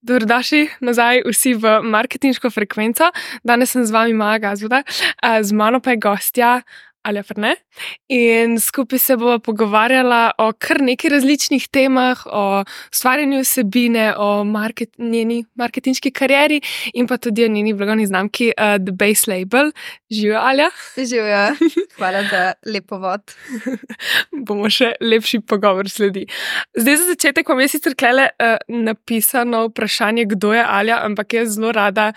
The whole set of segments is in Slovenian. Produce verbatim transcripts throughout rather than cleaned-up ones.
Dobrodošli nazaj vsi v marketinško frekvenco. Danes sem z vami Maja Gazvoda, z mano pa je gostja Alja Fernet in skupaj se bova pogovarjala o kar nekaj različnih temah, o ustvarjanju vsebine, o market, njeni marketinški karieri in pa tudi o njeni blagovni znamki uh, The Base Label. Živijo, Alja? Živijo, hvala za lep povod. Bomo še lepši pogovor sledi. Zdaj za začetek vam je sicer klele uh, napisano vprašanje, kdo je Alja, ampak jaz zelo rada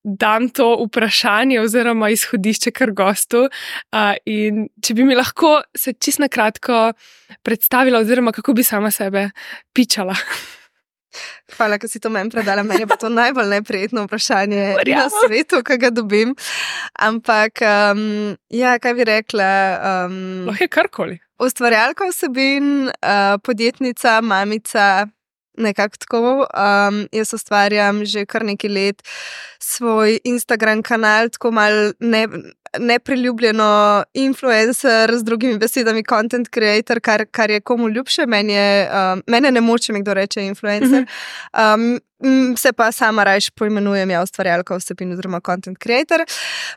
dam to vprašanje oziroma izhodišče kar gostu. Uh, in če bi mi lahko se čisto na kratko predstavila oziroma kako bi sama sebe pičala. Hvala, ker si to meni predala. Meni je pa to najbolj neprijetno vprašanje na svetu, ki ga dobim. Ampak, um, ja, kaj bi rekla? Um, Lahko je karkoli. Ustvarjalka vsebin, uh, podjetnica, mamica, nekako tako. Um, jaz ustvarjam že kar nekaj let svoj Instagram kanal, tako mal ne... nepriljubljeno influencer, z drugimi besedami content creator, kar, kar je komu ljubše. Meni je, um, mene ne moče mi kdo reče influencer. Um, se pa sama rajš poimenujem ja ustvarjalka vsebin oziroma content creator.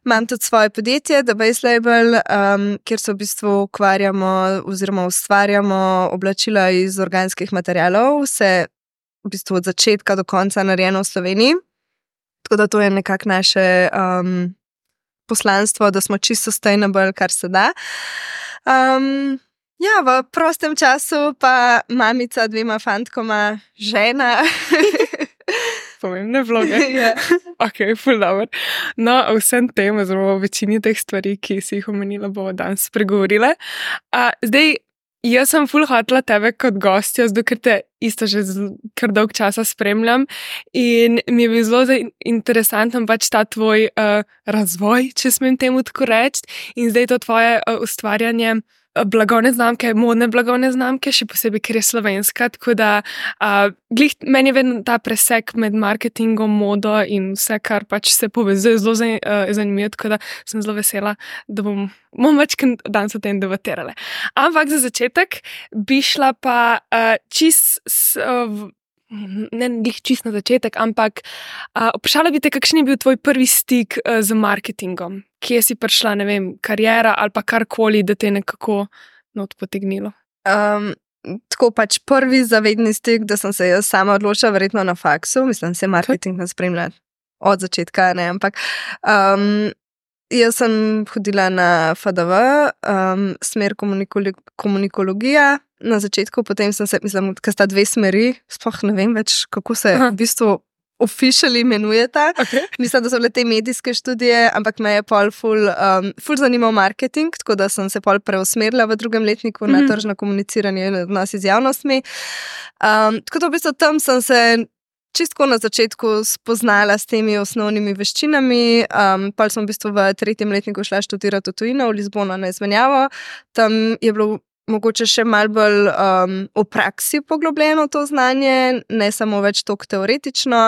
Imam tudi svoje podjetje, The Base Label, um, kjer se v bistvu ukvarjamo oziroma ustvarjamo oblačila iz organskih materialov, vse v bistvu od začetka do konca narejeno v Sloveniji. Tako da to je nekako naše um, poslanstvo, da smo čisto sustainable, kar se da. Um, ja, v prostem času pa mamica dvema fantkoma, žena. Pomembne vloge. Yeah. Ok, ful dobro. No, o vsem tem, oziroma o večini teh stvari, ki si jih omenila, bomo danes spregovorile. Uh, zdaj, jaz sem ful hotela tebe kot gostja, zato ker te isto že kar dolg časa spremljam in mi je bil zelo interesanten pač ta tvoj uh, razvoj, če smem temu tako reči, in zdaj to tvoje uh, ustvarjanje blagovne znamke, modne blagovne znamke, še posebej, ker je slovenska, tako da uh, glih, meni je vedno ta presek med marketingom, modo in vse, kar pač se povezuje, zelo uh, zanimivo, tako da sem zelo vesela, da bom, bom več danes o tem debatirale. Ampak za začetek bi šla pa uh, čist s, uh, ne glih čist na začetek, ampak uh, vprašala bi te, kakšen je bil tvoj prvi stik uh, z marketingom? Kje si prišla, ne vem, karijera ali pa karkoli, da te nekako not potegnilo? Um, tako pač prvi zavedni stik, da sem se jaz sama odločila, verjetno na faksu, mislim, se marketing ne spremlja od začetka, ne, ampak um, jaz sem hodila na F D V, um, smer komunikolo- komunikologija, na začetku, potem sem se, mislim, ker sta dve smeri, sploh ne vem več, kako se Aha. v bistvu officially imenujeta. Okay. Mislim, da so bile te medijske študije, ampak me je pol ful, um, ful zanimal marketing, tako da sem se pol preusmerila v drugem letniku mm-hmm. na tržno komuniciranje in odnos z javnostmi. Um, tako da v bistvu tam sem se čistko na začetku spoznala s temi osnovnimi veščinami. Um, pol sem v bistvu v tretjem letniku šla študirati v tujino, v Lizbono na izmenjavo. Tam je bilo mogoče še malo bolj um, v praksi poglobljeno to znanje, ne samo več toliko teoretično.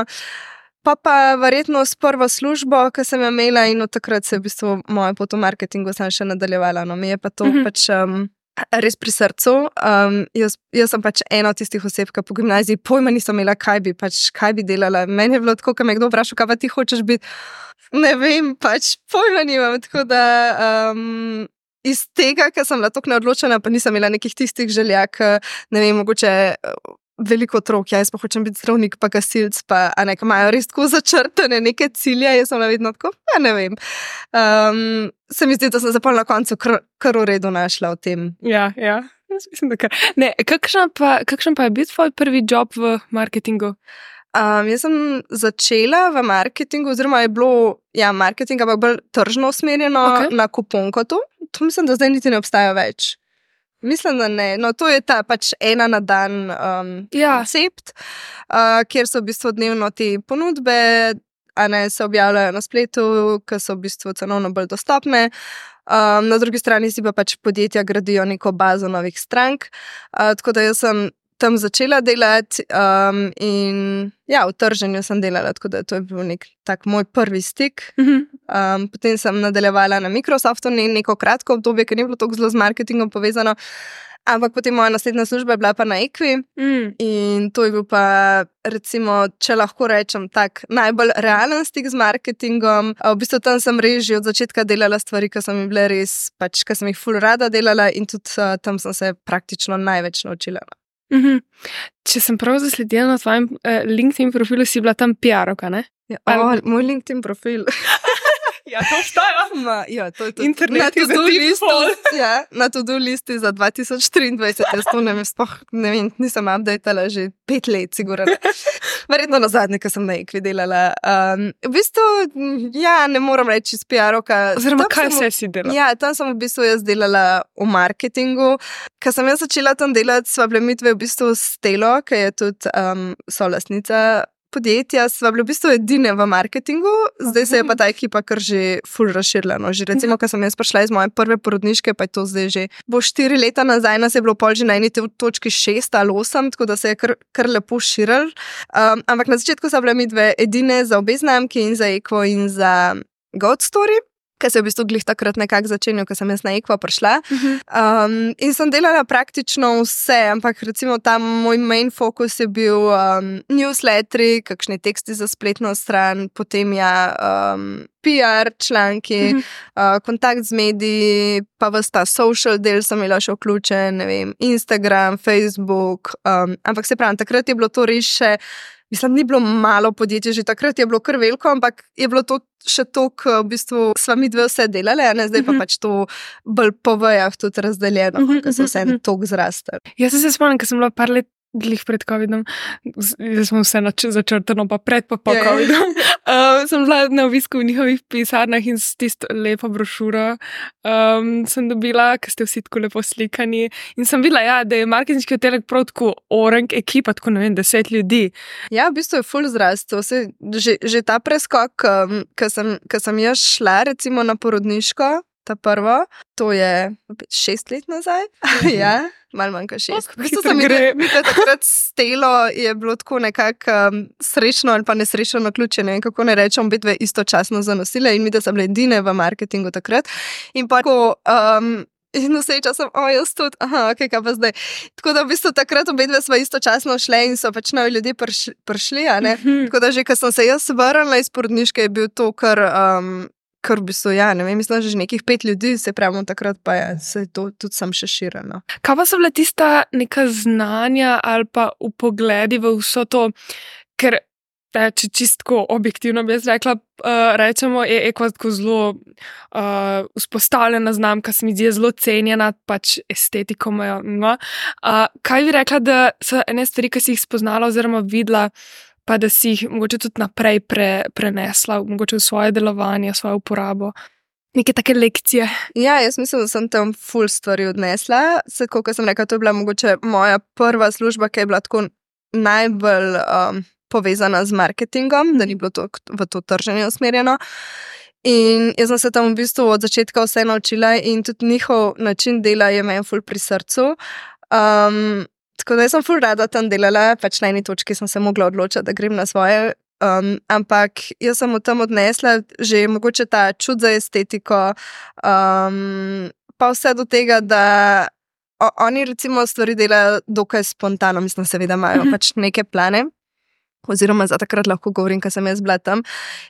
Pa pa verjetno s prvo službo, ki sem jo imela, in od takrat se je v bistvu moja pot v marketingu sem še nadaljevala. No, mi je pa to mm-hmm. pač um, res pri srcu. Um, jaz, jaz sem pač ena od tistih oseb, ki po gimnaziji pojma nisem imela, kaj bi, pač, kaj bi delala. Meni je bilo tako, ko me kdo vprašal, kaj pa ti hočeš biti. Ne vem, pač pojma nimam, tako da... Um, Iz tega, ker sem bila tako neodločena, pa nisem imela nekih tistih želja, ne vem, mogoče veliko otrok, ja, jaz pa hočem biti zdravnik, pa gasilc, pa a ne, imajo res tako začrtane neke cilje, jaz sem vedno tako, ja, ne vem. Um, se mi zdi, da sem zapolj na koncu kar, kar v redu našla v tem. Ja, ja, jaz mislim, da kar. Ne, kakšen pa, kakšen pa je bil tvoj prvi job v marketingu? Um, jaz sem začela v marketingu, oziroma je bilo, ja, marketing, ampak bolj tržno usmerjeno okay. na kuponkotu. To mislim, da zdaj niti ne obstaja več. Mislim, da ne. No, to je ta pač ena na dan um, ja. koncept, uh, kjer so v bistvu dnevno te ponudbe, a ne se objavljajo na spletu, ki so v bistvu cenovno bolj dostopne. Um, na drugi strani si pa pač podjetja gradijo neko bazo novih strank. Uh, tako da jaz sem tam začela delati um, in ja, v trženju sem delala, tako da to je bil nek tak moj prvi stik. Mm-hmm. Um, potem sem nadaljevala na Microsoftu neko kratko obdobje, ker ni bilo toliko zelo z marketingom povezano, Ampak potem moja naslednja služba je bila pa na Equi Mm. in to je bil pa, recimo, če lahko rečem, tak najbolj realen stik z marketingom. A v bistvu tam sem res že od začetka delala stvari, ki so mi bile res, pač, ki sem jih ful rada delala in tudi uh, tam sem se praktično največ naučila. Mhm. Če sem prav zasledila na tvojem uh, LinkedIn profilu, si bila tam P R-ovka, ne? Ja, Ali- o, moj LinkedIn profil. Ja, to obstaja. Ma, ja, to je to. Internet na je za to-do default. listi, ja, na to-do listi za dva tisoč triindvajset. Jaz to ne vem, sploh ne vem, nisem updatala že pet let, sigurno. Verjetno na zadnje, ko sem na Equi delala. Um, v bistvu, ja, ne moram reči s P R-ovka. Oziroma, Tam kaj sem v- vse si delala? Ja, tam sem v bistvu jaz delala v marketingu. Ko sem jaz začela tam delati, sva bile midve v bistvu s Telo, ki je tudi um, solastnica podjetja, sva bile v bistvu edine v marketingu, zdaj se je pa ta ekipa kar že ful razširila. No. Že recimo, ko sem jaz prišla iz moje prve porodniške, pa je to zdaj že bo štiri leta nazaj, nas je bilo pol že na eni to- točki šest ali osem, tako da se je kar, kar lepo širil. Um, ampak na začetku so bile midve edine za obe znamki in za Equa in za God Story, ki se je v bistvu glih takrat nekako začenjal, ko sem jaz na Equa prišla. Um, in sem delala praktično vse, ampak recimo tam moj main fokus je bil um, newsletteri, kakšni teksti za spletno stran, potem ja um, P R članki, Mhm. uh, kontakt z mediji, pa ves ta social del sem imela še vključen, ne vem, Instagram, Facebook, um, ampak se pravim, takrat je bilo to res še, mislim, ni bilo malo podjetij, že takrat je bilo kar veliko, ampak je bilo to še to, ko v bistvu sva mi dve vse delali, a ne, zdaj pa Mhm. pač to bolj po vejah tudi razdeljeno, Mhm, ker so vse mhm, mhm. tok zrastali. Jaz se spomnim, ker sem bila par let glih pred covidom, z- zdaj smo vse nač- začrtano, pa pred pa po Ja, ja. covidom. Uh, sem bila na obisku v njihovih pisarnah in s tisto lepo brošuro um, sem dobila, ker ste vsi tako lepo slikani. In sem videla, ja, da je marketinški oddelek prav tako orang ekipa, tako ne vem, deset ljudi. Ja, v bistvu je ful zrastel. Saj Že, že ta preskok, um, ko sem, ko sem jaz šla recimo na porodniško, ta prvo, to je opet šest let nazaj. Ja, malo manj kot šest. Oh, V bistvu hitro sem gre. mi takrat s Telo je bilo tako nekako um, srečno ali pa nesrečno naključje, ne vem, kako ne rečem, obidve istočasno zanosile in mi, da sem bile edine v marketingu takrat. In pa tako, um, in vse čas sem, o, jaz tudi, aha, ok, kaj pa zdaj. Tako da v bistvu takrat obidve sva istočasno šle in so pač novi ljudje prišli, prišli, a ne. Mhm. Tako da že, ko sem se jaz vrnila iz porodniške, je bil to kar, um, kar v bistvu, ja, ne vem, mislim, že nekih pet ljudi, se pravimo takrat, pa je se to tudi sem še širila. Kaj pa so bila tista neka znanja ali pa upogledi v vso to, ker eh, če čistko objektivno bi jaz rekla, uh, rečemo, je Equa tako zelo uh, vzpostavljena znamka, se mi zdi zelo cenjena, pač estetiko imajo. No. Uh, kaj bi rekla, da so ene stvari, ki si jih spoznala oziroma videla, pa da si jih mogoče tudi naprej pre, prenesla, mogoče v svoje delovanje, v svojo uporabo. Neke take lekcije. Ja, jaz mislim, da sem tam ful stvari odnesla. Se, kot sem rekla, to je bila mogoče moja prva služba, ki je bila tako najbolj um, povezana z marketingom, da ni bilo to v to trženje usmerjeno. In jaz sem se tam v bistvu od začetka vse naučila in tudi njihov način dela je meni ful pri srcu. Um, tako da jaz sem ful rada tam delala, pač na eni točki sem se mogla odločiti, da grem na svoje. Um, ampak jaz sem od tam odnesla že mogoče ta čut za estetiko, um, pa vse do tega, da o, oni recimo stvari delajo dokaj spontano, mislim, seveda imajo Mhm. pač neke plane, oziroma za takrat lahko govorim, ker sem jaz bila tam.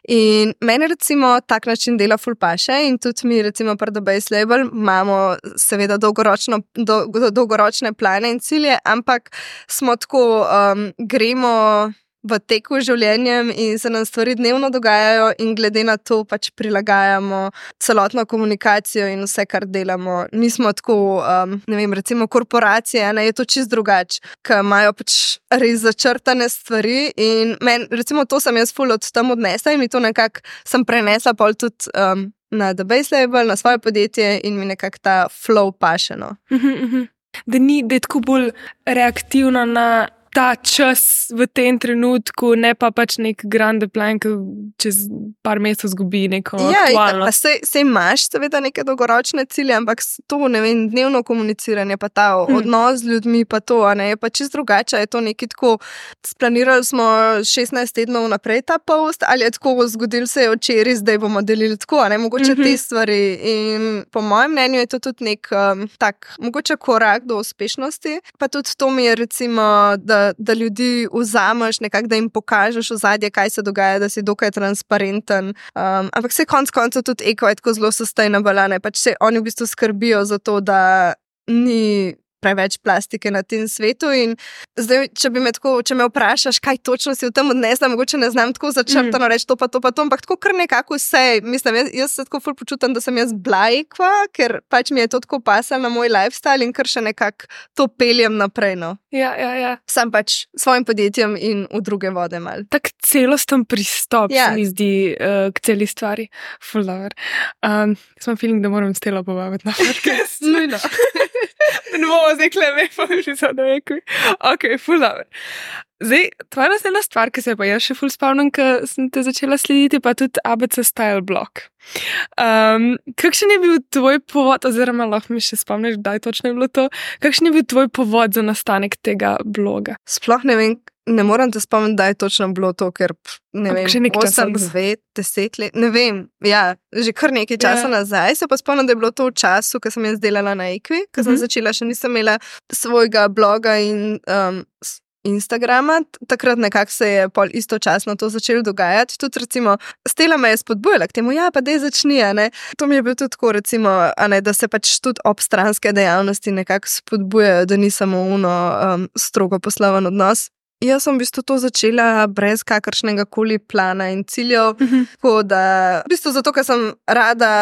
In meni recimo tak način dela ful paše in tudi mi recimo pri The Base Label imamo seveda dolgoročno, do, dolgoročne plane in cilje, ampak smo tako, um, gremo v teku z življenjem in se nam stvari dnevno dogajajo in glede na to pač prilagajamo celotno komunikacijo in vse, kar delamo. Nismo tako, um, ne vem, recimo korporacije, ne, je to čist drugače, ki imajo pač res začrtane stvari in men, recimo to sem jaz ful od tam odnesla in mi to nekako sem prenesla pol tudi um, na The Base Label, na svoje podjetje in mi nekako ta flow paše, no. Mhm, mhm. Da ni, da je tako bolj reaktivna na ta čas v tem trenutku, ne pa pač nek grande plan, ki čez par mesecev zgubi neko ja, aktualno. Ja, sej, sej imaš seveda neke dolgoročne cilje, ampak to, ne vem, dnevno komuniciranje, pa ta hmm. odnos z ljudmi, pa to, a ne, je pa čist drugače, je to neki tako, splanirali smo šestnajst tednov naprej ta post, ali je tako zgodil se je včeraj, zdaj bomo delili tako, a ne, mogoče mm-hmm. te stvari in po mojem mnenju je to tudi nek um, tak, mogoče korak do uspešnosti, pa tudi to mi je recimo, da da ljudi vzameš, nekako, da jim pokažeš ozadje, kaj se dogaja, da si dokaj transparenten. Um, ampak se konc koncev tudi eko je tako zelo sustainable, ne? Pač se oni v bistvu skrbijo za to, da ni preveč plastike na tem svetu in zdaj, če bi me tako, če me vprašaš, kaj točno si v tem odnesla, mogoče ne znam tako začrtano reči to pa to pa to, ampak tako kar nekako vse, mislim, jaz, jaz se tako ful počutam, da sem jaz blajkva, ker pač mi je to tako pasalo na moj lifestyle in kar še nekako to peljem naprej, no. Ja, ja, ja. Sam pač svojim podjetjem in v druge vode mal. Tak celosten pristop ja. se mi zdi uh, k celi stvari. Ful dobro. Um, sem feeling, da moram Stelo povabiti na podcast. Nujno. Ne bomo zdaj kleme, pa mi že so da vekvi. Ok, ful dobro. Zdaj, tvoja naslednja stvar, ki se je pa jaz še ful spomnim, ko sem te začela slediti, pa tudi A B C Style blog. Um, kakšen je bil tvoj povod, oziroma lahko mi še spomniš, kdaj točno je bilo to, kakšen je bil tvoj povod za nastanek tega bloga? Sploh ne vem, ne moram te spomniti, da je točno bilo to, ker ne Ampak vem, osem, čas, devet, deset let, ne vem, ja, že kar nekaj časa ja. nazaj, se pa spomnim, da je bilo to v času, ko sem jaz delala na Equi, ko sem uh-huh. začela, še nisem imela svojega bloga in um, Instagrama, takrat nekako se je pol istočasno to začelo dogajati, tudi recimo Stela me je spodbujala k temu, ja, pa dej začni, a ne, to mi je bil tudi tako recimo, a ne, da se pač tudi obstranske dejavnosti nekako spodbujajo, da ni samo uno um, strogo posloven odnos. Jaz sem v bistvu to začela brez kakršnega koli plana in ciljev, uh-huh. tako da, v bistvu zato, ker sem rada,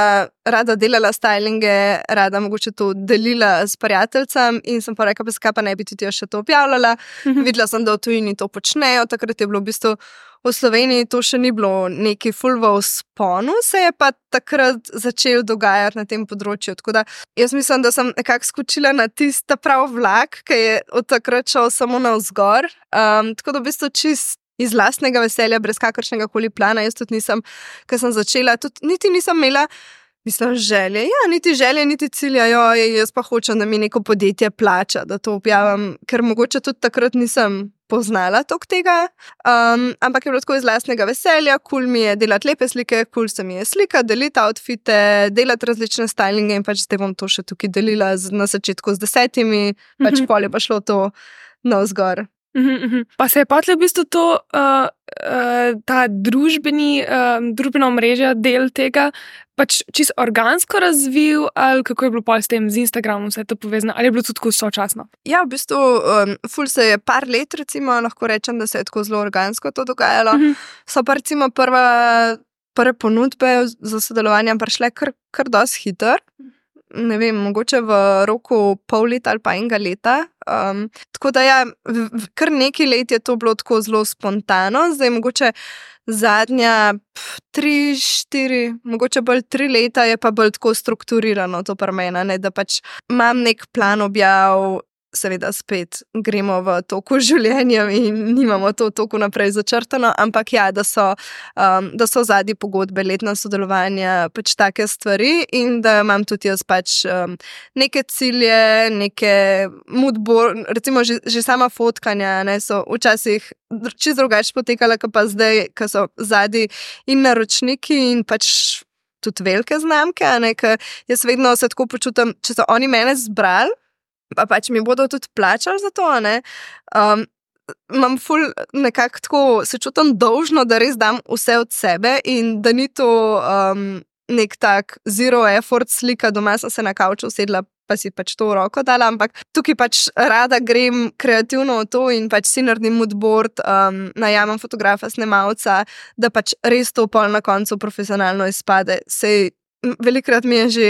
rada delala stylinge, rada mogoče to delila s prijateljcem in sem pa rekla, pa skaj pa ne bi tudi jaz še to objavljala. Uh-huh. Videla sem, da v tujini to počnejo, takrat je bilo v bistvu v Sloveniji to še ni bilo neki ful v vzponu, se je pa takrat začel dogajati na tem področju. Tako da jaz mislim, da sem nekako skočila na tista prav vlak, ki je od takrat šel samo navzgor. Um, tako da v bistvu čist iz lastnega veselja, brez kakršnega koli plana, jaz tudi nisem, ker sem začela, tudi niti nisem imela Mislim, želje, ja, niti želje, niti cilja, jo, jaz pa hočem, da mi neko podjetje plača, da to objavim, ker mogoče tudi takrat nisem poznala tok tega, um, ampak je bilo tako iz lastnega veselja, kul mi je delati lepe slike, kul se mi je slika, deliti outfite, delati različne stylinge in pač zdaj bom to še tukaj delila z, na začetku z desetimi, mm-hmm. pač pol je pa šlo to navzgor. Mm-hmm. Pa se je potlej v bistvu to, uh, uh, ta družbeni, uh, družbena omrežja del tega, pač čisto organsko razvil, ali kako je bilo pol s tem z Instagramom vse to povezano, ali je bilo tudi tako sočasno? Ja, v bistvu, um, ful se je par let, recimo, lahko rečem, da se je tako zelo organsko to dogajalo. Mm-hmm. So pa recimo prva, prve ponudbe za sodelovanje prišle kar, kar dosti hiter. Ne vem, mogoče v roku pol leta ali pa enega leta. Um, tako da ja, v, v, kar nekaj let je to bilo tako zelo spontano, zdaj mogoče zadnja pf, tri, štiri, mogoče bolj tri leta je pa bolj tako strukturirano to pri meni, ne, da pač imam nek plan objav, seveda spet gremo v toku življenja in nimamo to toku naprej začrtano, ampak ja, da so, um, da so zadnji pogodbe, letna sodelovanja, pač take stvari in da imam tudi jaz pač um, neke cilje, neke moodboard, recimo že, že sama fotkanja, ne, so včasih čisto drugače potekala, kot pa zdaj, ko so zadnji in naročniki in pač tudi velike znamke, ne, ker jaz vedno se tako počutam, če so oni mene zbrali, pa pač mi bodo tudi plačali za to, ne. Um, imam ful nekako tako, se čutim dolžno, da res dam vse od sebe in da ni to um, nek tak zero effort slika, doma sem se na kavču usedla, pa si pač to v roko dala, ampak tukaj pač rada grem kreativno v to in pač si naredim moodboard, um, najamem fotografa, snemalca, da pač res to pol na koncu profesionalno izpade. Sej velikrat mi je že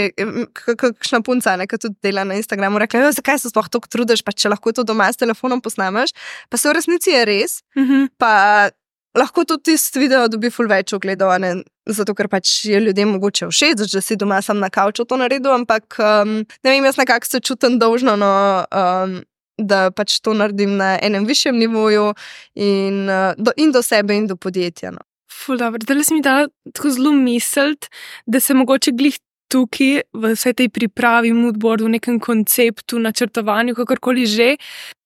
kakšna punca, ki tudi dela na Instagramu, rekla, zakaj se sploh toliko trudiš, pa če lahko to doma s telefonom posnameš, pa se v resnici je res, mm-hmm. pa lahko tudi tisti video dobi ful več ogledov, ne, zato ker pač je ljudem mogoče všeč, da si doma sam na kavču to naredil, ampak um, ne vem, jaz nekako se čutim dolžno, no, um, da pač to naredim na enem višjem nivoju in, uh, do, in do sebe in do podjetja. No. Ful, dobro. Zdaj si mi dala tako zelo misliti, da se mogoče glih tukaj v vsej tej pripravi, moodboardu, v nekem konceptu, načrtovanju, kakorkoli že,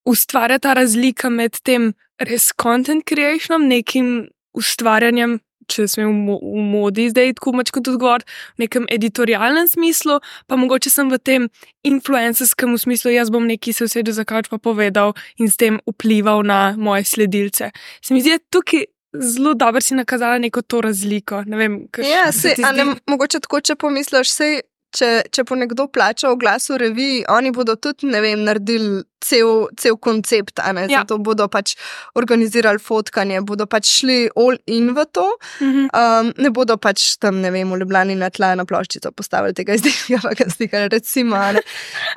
ustvarja ta razlika med tem res content creationom, nekim ustvarjanjem, če smem v, v modi zdaj tako mač kot odgovor, v nekem editorialnem smislu, pa mogoče sem v tem influencerskem smislu, jaz bom neki se usedel za kavč pa povedal in s tem vplival na moje sledilce. Se mi zdi, tukaj zelo dobro si nakazala neko to razliko. Ne vem, kaj ja, se, zdi... a ne, mogoče tako, če pomisliš, sej, če, če po nekdo plača oglas v reviji, oni bodo tudi, ne vem, naredili cel, cel koncept, a ne, ja. Zato bodo pač organizirali fotkanje, bodo pač šli all in v to, mm-hmm. um, ne bodo pač tam, ne vem, v Ljubljani na tla na ploščico postavili tega izdelka, pa ga slikali, recimo, ne.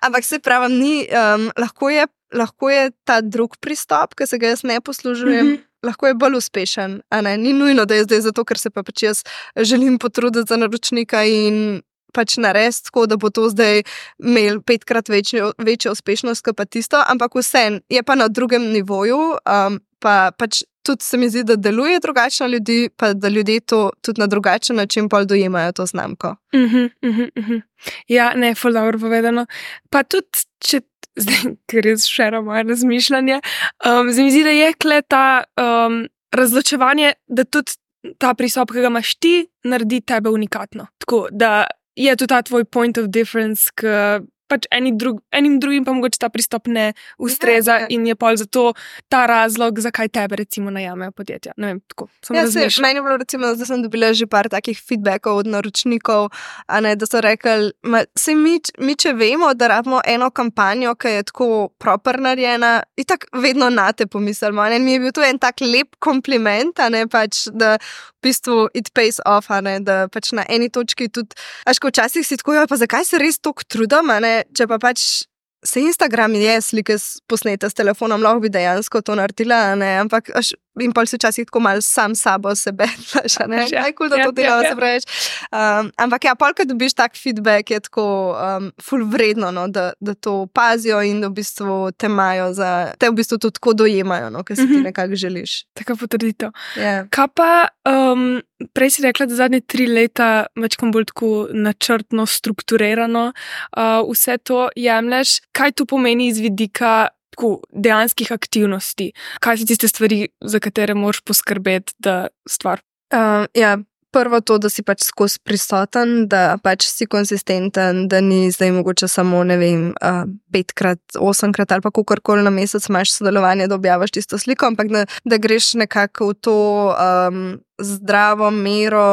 Ampak se pravim, ni, um, lahko je, lahko je ta drug pristop, ki se ga jaz ne poslužujem, mm-hmm. lahko je bolj uspešen, a ne, ni nujno, da je zdaj zato, ker se pa pač jaz želim potruditi za naročnika in pač narediti tako, da bo to zdaj imel petkrat večjo, večjo uspešnost kot pa tisto, ampak vsem je pa na drugem nivoju, um, pa pač tudi se mi zdi, da deluje drugače na ljudi, pa da ljudje to tudi na drugačen način pol dojemajo to znamko. Uh-huh, uh-huh, uh-huh. Ja, ne, ful dobro povedano. Pa tudi, če zdaj, ker je šera moje razmišljanje, um, se mi zdi, da je kle ta um, razločevanje, da tudi ta pristop, ki ga imaš ti, naredi tebe unikatno. Tako, da je to ta tvoj point of difference, ki pač eni drug, enim drugim pa mogoče ta pristop ne ustreza ja, ja. In je pol zato ta razlog, zakaj tebe recimo najamejo podjetja. Ne vem, tako, sem ja, razmišljala. Se, meni je bilo recimo, da sem dobila že par takih feedbackov od naročnikov, a ne, da so rekli, se mi, mi če vemo, da rabimo eno kampanjo, ki je tako proper narejena, in tako vedno na te pomislimo. Mi je bil to en tak lep kompliment, a ne, pač, da v bistvu it pays off, a ne, da pač na eni točki tudi, až ko včasih si tako, pa zakaj se res toliko trudim, a ne, če pa pač se Instagram je slike posnete s telefonom, lahko bi dejansko to naredila, ne, ampak až in pol si včasih tako malo sam sabo sebe, znaš, ne, ja, aj kul, da to delava, ja, ja. Se praviš. Um, ampak ja, pol, kad dobiš tak feedback, je tako um, ful vredno, no, da, da to pazijo in da v bistvu te imajo za, te v bistvu to tako dojemajo, no, ker si ti nekako želiš. Taka potrditev. Yeah. Kaj pa, um, prej si rekla, da zadnje tri leta večkrat bolj tako načrtno, strukturirano uh, vse to jemlješ. Kaj to pomeni iz vidika tako dejanskih aktivnosti? Kaj so tiste stvari, za katere moraš poskrbeti, da stvar? Uh, ja, prvo to, da si pač skozi prisoten, da pač si konsistenten, da ni zdaj mogoče samo, ne vem, uh, petkrat, osemkrat ali pa kakorkoli na mesec imaš sodelovanje, da objavaš tisto sliko, ampak da, da greš nekako v to um, zdravo mero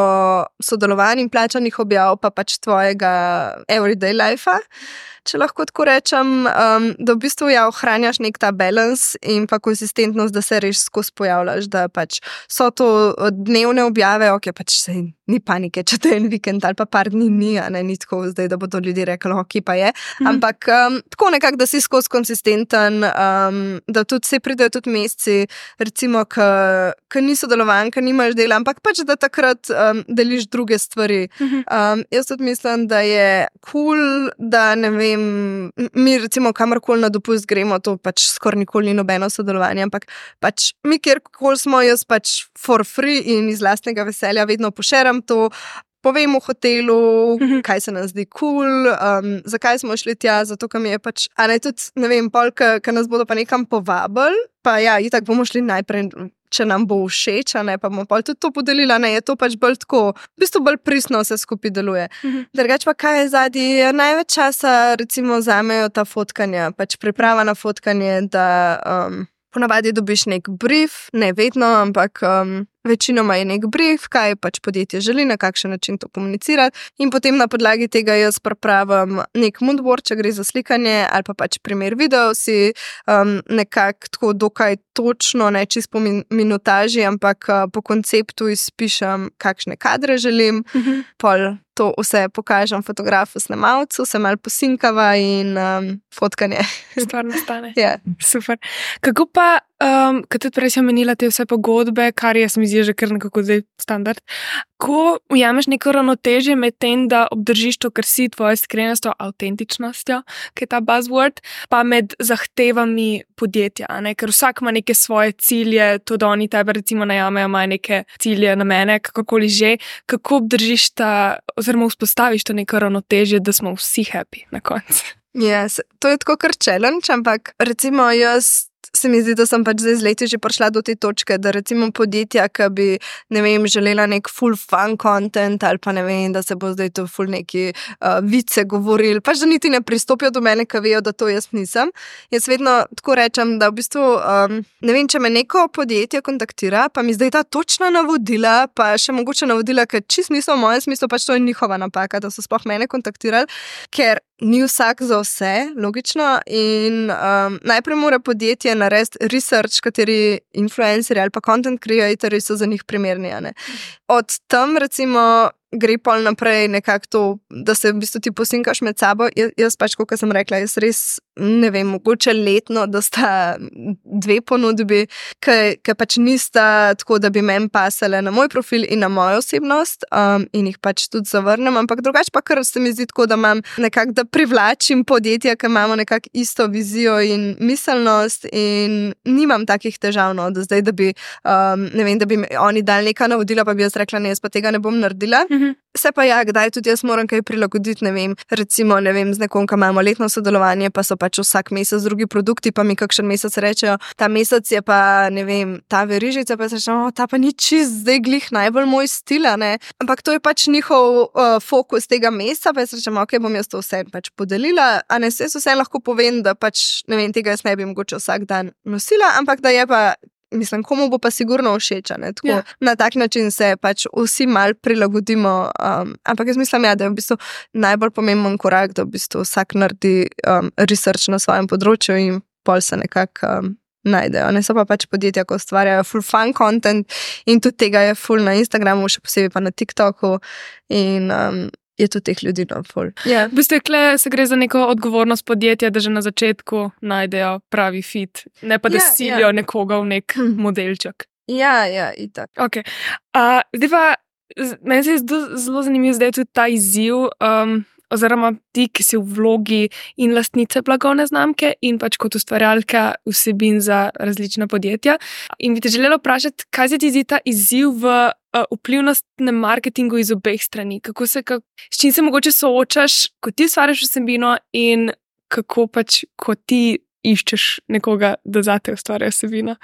sodelovanj in plačanih objav, pa pač tvojega everyday life-a. Če lahko tako rečem, um, da v bistvu ja ohranjaš nek ta balans in pa konsistentnost, da se res skozi pojavljaš, da pač so to dnevne objave, ok, pač se ni panike, če to je en vikend ali pa par dni ni, a ne, ni tako zdaj, da bodo ljudje rekli, ok, pa je, mm. ampak um, tako nekako, da si skozi konsistenten, um, da tudi se pridejo tudi meseci, recimo, ki ni sodelovan, ki nimaš dela, ampak pač, da takrat um, deliš druge stvari. Mm-hmm. Um, jaz tudi mislim, da je cool, da ne vem, mi recimo kamorkoli na dopust gremo, to pač skoraj nikoli ni nobeno sodelovanje, ampak pač mi kjerkoli smo, jaz pač for free in iz lastnega veselja vedno pošeram to, povem v hotelu, mm-hmm. kaj se nam zdi cool, um, zakaj smo šli tja, zato ker mi je pač, a ne tudi, ne vem, pol, ki nas bodo pa nekam povabili, pa ja, itak bomo šli najprej, če nam bo všeč, a ne, pa bomo pol tudi to podelila, ne, je to pač bolj tako, v bistvu bolj pristno vse skupaj deluje. Mm-hmm. Drugač pa kaj je zadnji, največ časa recimo vzamejo ta fotkanja, pač priprava na fotkanje, da um, ponavadi dobiš nek brief, ne vedno, ampak um, večinoma je nek brief, kaj pač podjetje želi, na kakšen način to komunicirati in potem na podlagi tega jaz pripravim nek moodboard, če gre za slikanje ali pa pač primer video, si um, nekako tako dokaj točno, ne čisto po min- minutaži, ampak uh, po konceptu izpišem, kakšne kadre želim, mm-hmm. pol to vse pokažem fotografu, snemalcu, se malo posinkava in um, fotkanje. Stvar nastane. Yeah. Super. Kako pa um, kot tudi prej si omenila te vse pogodbe, kar je, se mi zdi, že kar nekako zdaj standard. Ko ujameš neko ravnotežje med tem, da obdržiš to, kar si, tvojo iskrenostjo, avtentičnostjo, ki je ta buzzword, pa med zahtevami podjetja, ne? Ker vsak ima neke svoje cilje, to, da oni tebe recimo najamejo, imajo neke cilje na mene, kakorkoli že, kako obdržiš ta, oziroma vzpostaviš to neko ravnotežje, da smo vsi happy na koncu. Yes, to je tako kar challenge, ampak recimo jaz se mi zdi, da sem pač zdaj z leti že prišla do te točke, da recimo podjetja, ki bi, ne vem, želela nek full fun content ali pa ne vem, da se bo zdaj to full neki uh, vice govorili, pač da niti ne pristopijo do mene, ki vejo, da to jaz nisem. Jaz vedno tako rečem, da v bistvu, um, ne vem, če me neko podjetje kontaktira, pa mi zdaj ta točna navodila, pa še mogoče navodila, ker čist niso v mojem smislu, pač to je njihova napaka, da so sploh mene kontaktirali, ker ni vsak za vse, logično, in um, najprej mora podjetje narediti research, kateri influencerji ali pa content creatorji so za njih primerni. Od tam recimo gre pol naprej nekako to, da se v bistvu ti posinkaš med sabo. Jaz, jaz pač, kot sem rekla, jaz res ne vem, mogoče letno, da sta dve ponudbi, ki pač nista tako, da bi meni pasale na moj profil in na mojo osebnost um, in jih pač tudi zavrnem, ampak drugače pa kar se mi zdi tako, da imam nekako, da privlačim podjetja, ki imamo nekako isto vizijo in miselnost in nimam takih težav, no, da zdaj, da bi, um, ne vem, da bi oni dali neka navodila, pa bi jaz rekla, ne, jaz pa tega ne bom naredila. Se pa ja, kdaj tudi jaz moram kaj prilagoditi, ne vem, recimo, ne vem, z nekom, ki imamo letno sodelovanje, pa so pač vsak mesec drugi produkti, pa mi kakšen mesec rečejo, ta mesec je pa, ne vem, ta verižica, pa se rečemo, ta pa ni čist zdaj glih najbolj moj stil, ne, ampak to je pač njihov uh, fokus tega meseca, pa se rečemo, ok, bom jaz to vse pač podelila, a ne, se vse lahko povem, da pač, ne vem, tega jaz ne bi mogoče vsak dan nosila, ampak da je pa, mislim, komu bo pa sigurno všeč, ne, tako, ja. Na tak način se pač vsi mal prilagodimo, um, ampak jaz mislim, ja, da je v bistvu najbolj pomemben korak, da v bistvu vsak naredi um, research na svojem področju in pol se nekako um, najdejo. Ne, so pa pač podjetja, ko ustvarjajo full fun content in tudi tega je full na Instagramu, še posebej pa na TikToku in um, je tudi teh ljudi na full. Yeah. V bistvu kle se gre za neko odgovornost podjetja, da že na začetku najdejo pravi fit, ne pa da yeah, silijo yeah. nekoga v nek hmm. modelček. Ja, ja, itak. Ok. Uh, zdaj pa, meni se je zelo zanimiv zdaj tudi ta izziv, um, oziroma ti, ki si v vlogi in lastnice blagovne znamke in pač kot ustvarjalka vsebin za različna podjetja. In bi te želela vprašati, kaj se ti zdi ta izziv v uh, vplivnostnem marketingu iz obeh strani? Kako se, kak, s čim se mogoče soočaš, ko ti ustvarjaš vsebino in kako pač, ko ti iščeš nekoga, da zate ustvarja vsebino?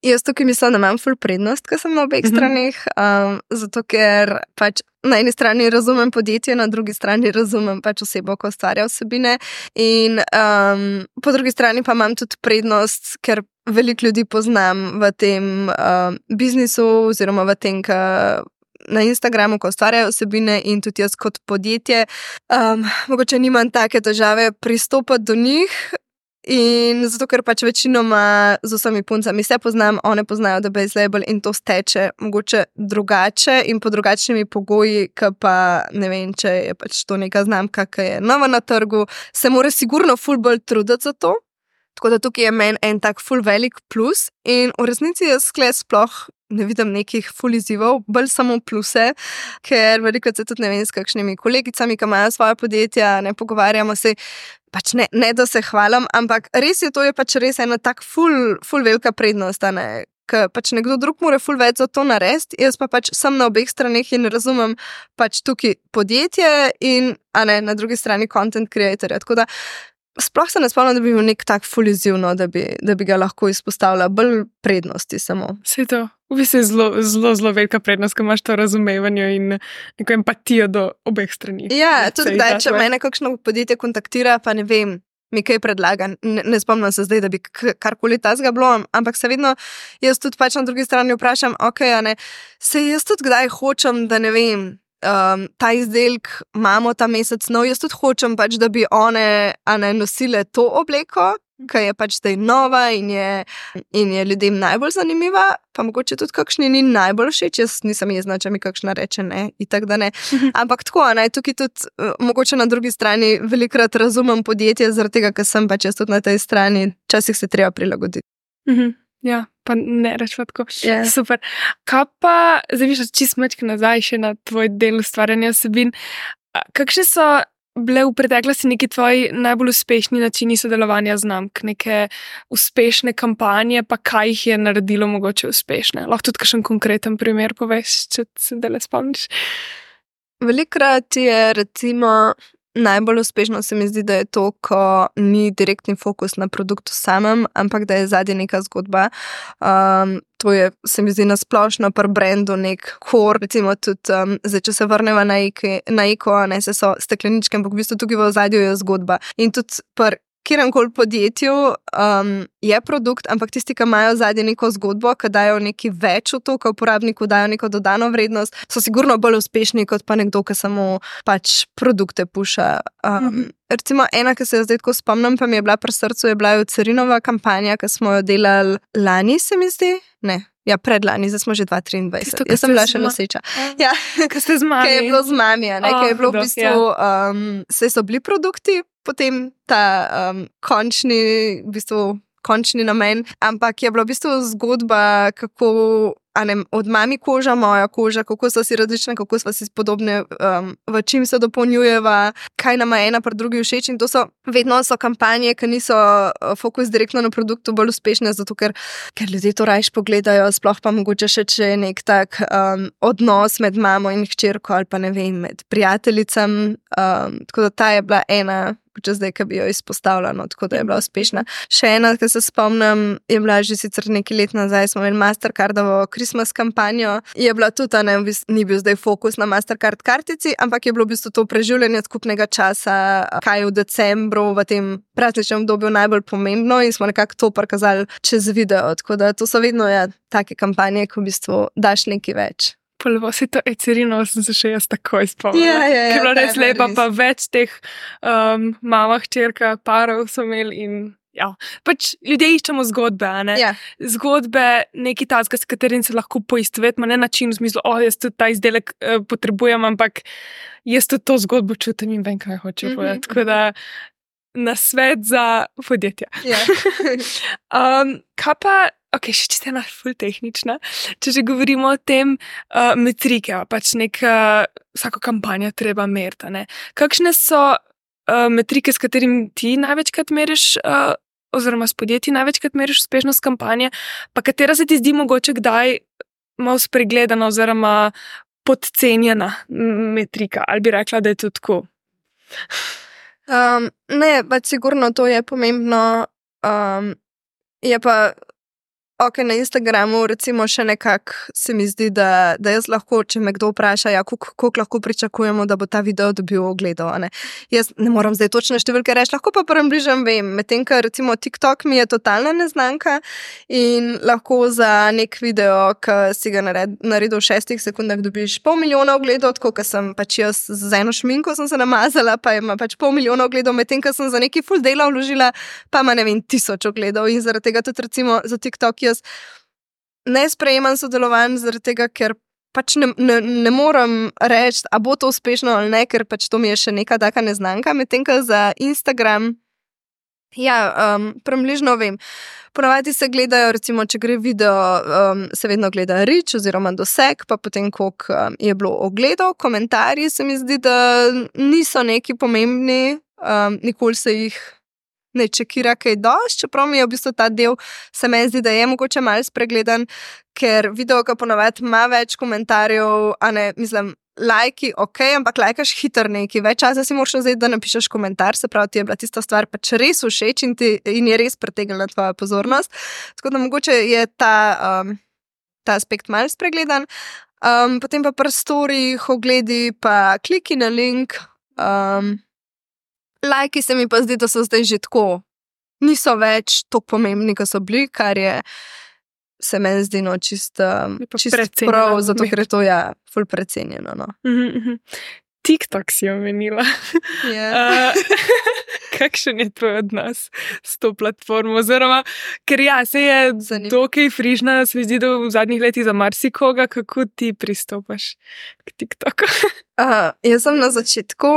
Jaz tukaj mislim, da imam ful prednost, ko sem na obeh mm-hmm. stranih, um, zato ker pač na eni strani razumem podjetje, na drugi strani razumem pač osebo, ko ustvarja vsebine in um, po drugi strani pa imam tudi prednost, ker veliko ljudi poznam v tem um, biznisu oziroma v tem, ka na Instagramu, ko ustvarjajo vsebine in tudi jaz kot podjetje, um, mogoče nimam take težave pristopati do njih. In zato, ker pač večinoma z vsemi puncami se poznam, one poznajo The Base Label in to steče mogoče drugače in po drugačnimi pogoji, ki pa ne vem, če je pač to neka znamka, ki je nova na trgu, se mora sigurno ful bolj truditi za to. Tako da tukaj je meni en tak ful velik plus in v resnici jaz skle sploh ne vidim nekih ful izzivov, bolj samo pluse, ker veliko se tudi ne vem s kakšnimi kolegicami, ki imajo svoje podjetja, ne pogovarjamo se, pač ne, ne da se hvalim, ampak res je, to je pač res ena tak ful, ful velika prednost, ne, ker pač nekdo drug mora ful več za to narediti, jaz pa pač sem na obeh straneh in razumem pač tukaj podjetje in, a ne, na drugi strani content creatorja, tako da sploh se ne spomnim, da bi bil nek tak ful izziv, no, da bi, da bi ga lahko izpostavila, bolj prednosti samo. Vse to. V bistvu je zelo, zelo, zelo velika prednost, ko imaš to razumevanje in neko empatijo do obeh strani. Ja, tudi da, če mene kakšno podjetje kontaktira, pa ne vem, mi kaj predlaga. Ne, ne spomnim se zdaj, da bi karkoli tazga bilo, ampak se vedno jaz tudi pač na drugi strani vprašam, ok, a ne, se jaz tudi kdaj hočem, da ne vem, um, ta izdelek imamo ta mesec nov, jaz tudi hočem pač, da bi one, a ne, nosile to obleko, ki je pač zdaj nova in je, in je ljudem najbolj zanimiva, pa mogoče tudi kakšni ni najbolj všeč, jaz nisem jezna, če mi kakšna reče ne, itak da ne. Ampak tako, ne, tukaj tudi uh, mogoče na drugi strani velikrat razumem podjetje, zaradi tega, ker sem pač jaz tudi na tej strani, včasih se treba prilagoditi. Mhm. Ja, pa ne rečva tako. Yeah. Super. Kaj pa, zdaj viš, čist mečke nazaj še na tvoj del ustvarjanja vsebin. Kakšne so bile v preteklosti neki tvoji najbolj uspešni načini sodelovanja znamk, neke uspešne kampanje, pa kaj jih je naredilo mogoče uspešne? Lahko tudi kakšen konkreten primer poveš, če se dele spomniš. Velikrat je recimo najbolj uspešno se mi zdi, da je to, ko ni direktni fokus na produktu samem, ampak da je zadnja neka zgodba. Um, to je, se mi zdi, nasplošno pri brandu nek core, recimo tudi, um, zdaj, če se vrneva na Eko, ne se so stekleničke, ampak v bistvu tukaj v ozadju je zgodba. In tudi pri kjerkoli podjetju um, je produkt, ampak tisti, ki imajo zadnje neko zgodbo, ki dajo nekaj več v to, ki uporabniku dajo neko dodano vrednost, so sigurno bolj uspešni kot pa nekdo, ki samo pač produkte puša. Um, mm-hmm. Recimo ena, ki se jo zdaj tako spomnim, pa mi je bila pri srcu, je bila jo Carinova kampanja, ki smo jo delali lani, se mi zdi. Ne. Ja, predlani, zdaj smo že dva tisoč triindvajset. Tisto, jaz sem bila še noseča. Ja, kaj ste z mami? Kaj je bilo z mami, ne? Oh, kaj je bilo v bistvu, um, se so bili produkti, potem ta um, končni, v bistvu, končni namen, ampak je bila v bistvu zgodba, kako, a ne, od mami koža, moja koža, kako so si različne, kako so si podobne, um, v čim se dopolnjujeva, kaj nama ena pri drugi všeč, in to so, vedno so kampanje, ki niso fokus direktno na produktu bolj uspešne, zato ker, ker ljudje to rajš pogledajo, sploh pa mogoče še, če je nek tak um, odnos med mamo in hčerko, ali pa ne vem, med prijateljicam, um, tako da ta je bila ena, če zdaj, ki bi jo izpostavila, no, tako da je bila uspešna. Še ena, ki se spomnim, je bila že sicer nekaj let nazaj, smo imeli Mastercardovo Christmas kampanjo, je bila tudi, ne, ni bil zdaj fokus na Mastercard kartici, ampak je bilo v bistvu to preživljanje skupnega časa, kaj je v decembru, v tem prazničnem obdobju najbolj pomembno, in smo nekako to prikazali čez video, tako da to so vedno, ja, take kampanje, ko v bistvu daš nekaj več. Prvo si to Ecerino, sem se še jaz takoj spomnila. Ja, ja, ja, ker je bilo res lepa, res. pa več teh um, mama, hčerka, parov so imeli in ja, pač ljudje iščemo zgodbe, a ne? Ja. Zgodbe, neki tazga, s katerim se lahko poistovetimo, ne način v smislu, o, jaz tudi ta izdelek uh, potrebujem, ampak jaz tudi to zgodbo čutim in vem, kaj hočem Mhm. povedati. Tako da na svet za podjetja. Ja. um, kaj pa, ok, še čisto ena ful tehnična, če že govorimo o tem uh, metrike, pač neka, vsako kampanjo treba meriti, ne. Kakšne so uh, metrike, s katerim ti največkrat meriš, uh, oziroma s podjetji največkrat meriš uspešnost kampanje, pa katera se ti zdi mogoče kdaj malo spregledana oziroma podcenjena metrika, ali bi rekla, da je to tako? Um, ne, pač sigurno to je pomembno, um, je pa ok, na Instagramu recimo še nekako se mi zdi, da, da jaz lahko, če me kdo vpraša, ja, koliko lahko pričakujemo, da bo ta video dobil ogledov, ne. Jaz ne moram zdaj točne številke reči, lahko pa približno vem, medtem, ker recimo TikTok mi je totalna neznanka in lahko za nek video, ki si ga nared, naredil v šestih sekundah, dobiš pol milijona ogledov, tako, ker sem pač jaz z eno šminko sem se namazala, pa ima pač pol milijona ogledov, medtem, ker sem za neki full dela vložila, pa ima, ne vem, tisoč ogledov, in zaradi tega tudi recimo za TikTok jaz ne sprejemam sodelovanj, zaradi tega, ker pač ne, ne, ne morem reči, a bo to uspešno ali ne, ker pač to mi je še neka taka neznanka, medtem, ker za Instagram, ja, um, približno vem. Ponavadi se gledajo, recimo, če gre video, um, se vedno gleda reach oziroma doseg, pa potem, koliko um, je bilo ogledov, komentarji se mi zdi, da niso neki pomembni, um, nikoli se jih ne čekira kaj dosti, čeprav mi je v bistvu ta del, se meni zdi, da je mogoče malo spregledan, ker video, ki ponavadi ima več komentarjev, a ne, mislim, lajki, ok, ampak lajkaš hitro neki, več časa si moraš vzeti, da napišeš komentar, se pravi, ti je bila tista stvar pač res všeč in, ti, in je res pritegnila tvoja pozornost, tako da mogoče je ta, um, ta aspekt malo spregledan. Um, potem pa pri storjih, ogledi, pa kliki na link, um, lajki se mi pa zdi, da so zdaj že tako, niso več tako pomembni, kot so bili, kar je, se meni zdi, no, čist, um, čist prav, zato ker je to, ja, ful precenjeno, no. Mm-hmm. TikTok si omenila. Yeah. Uh, kakšen je tvoj odnos s to platformo? Oziroma, ker ja, se je Zanimivo. dokaj frižna, se mi zdi, da v zadnjih letih za marsikoga, kako ti pristopaš k TikToku? Uh, jaz sem na začetku,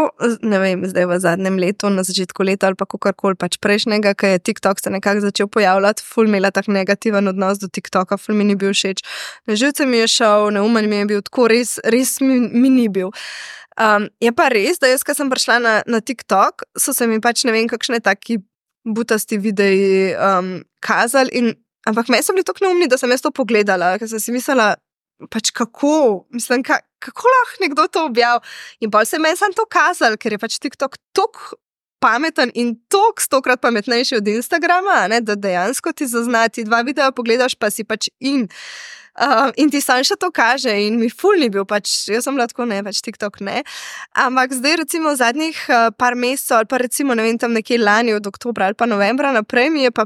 ne vem, zdaj v zadnjem letu, na začetku leta ali pa kakorkoli pač prejšnjega, ko je TikTok se nekako začel pojavljati, ful imela tak negativen odnos do TikToka, ful mi ni bil všeč. Na živce mi je šel, neumen mi je bil, tako res, res mi, mi ni bil. Um, je pa res, da jaz, ko sem prišla na, na TikTok, so se mi pač ne vem, kakšne taki butasti videi um, kazali, in, ampak meni so bili tako neumni, da sem jaz to pogledala, ker sem si mislila, pač kako, mislim, ka, kako lahko nekdo to objav. In pa se meni sam to kazal, ker je pač TikTok tako pameten in tok stokrat pametnejši od Instagrama, ne, da dejansko ti zaznati dva videa pogledaš, pa si pač in. Uh, in ti sam še to kaže in mi ful ni bil, pač jaz sem bila tako, ne, pač TikTok ne. Ampak zdaj recimo v zadnjih uh, par mesecev ali pa recimo, ne vem, tam nekje lani od oktobra ali pa novembra naprej mi je pa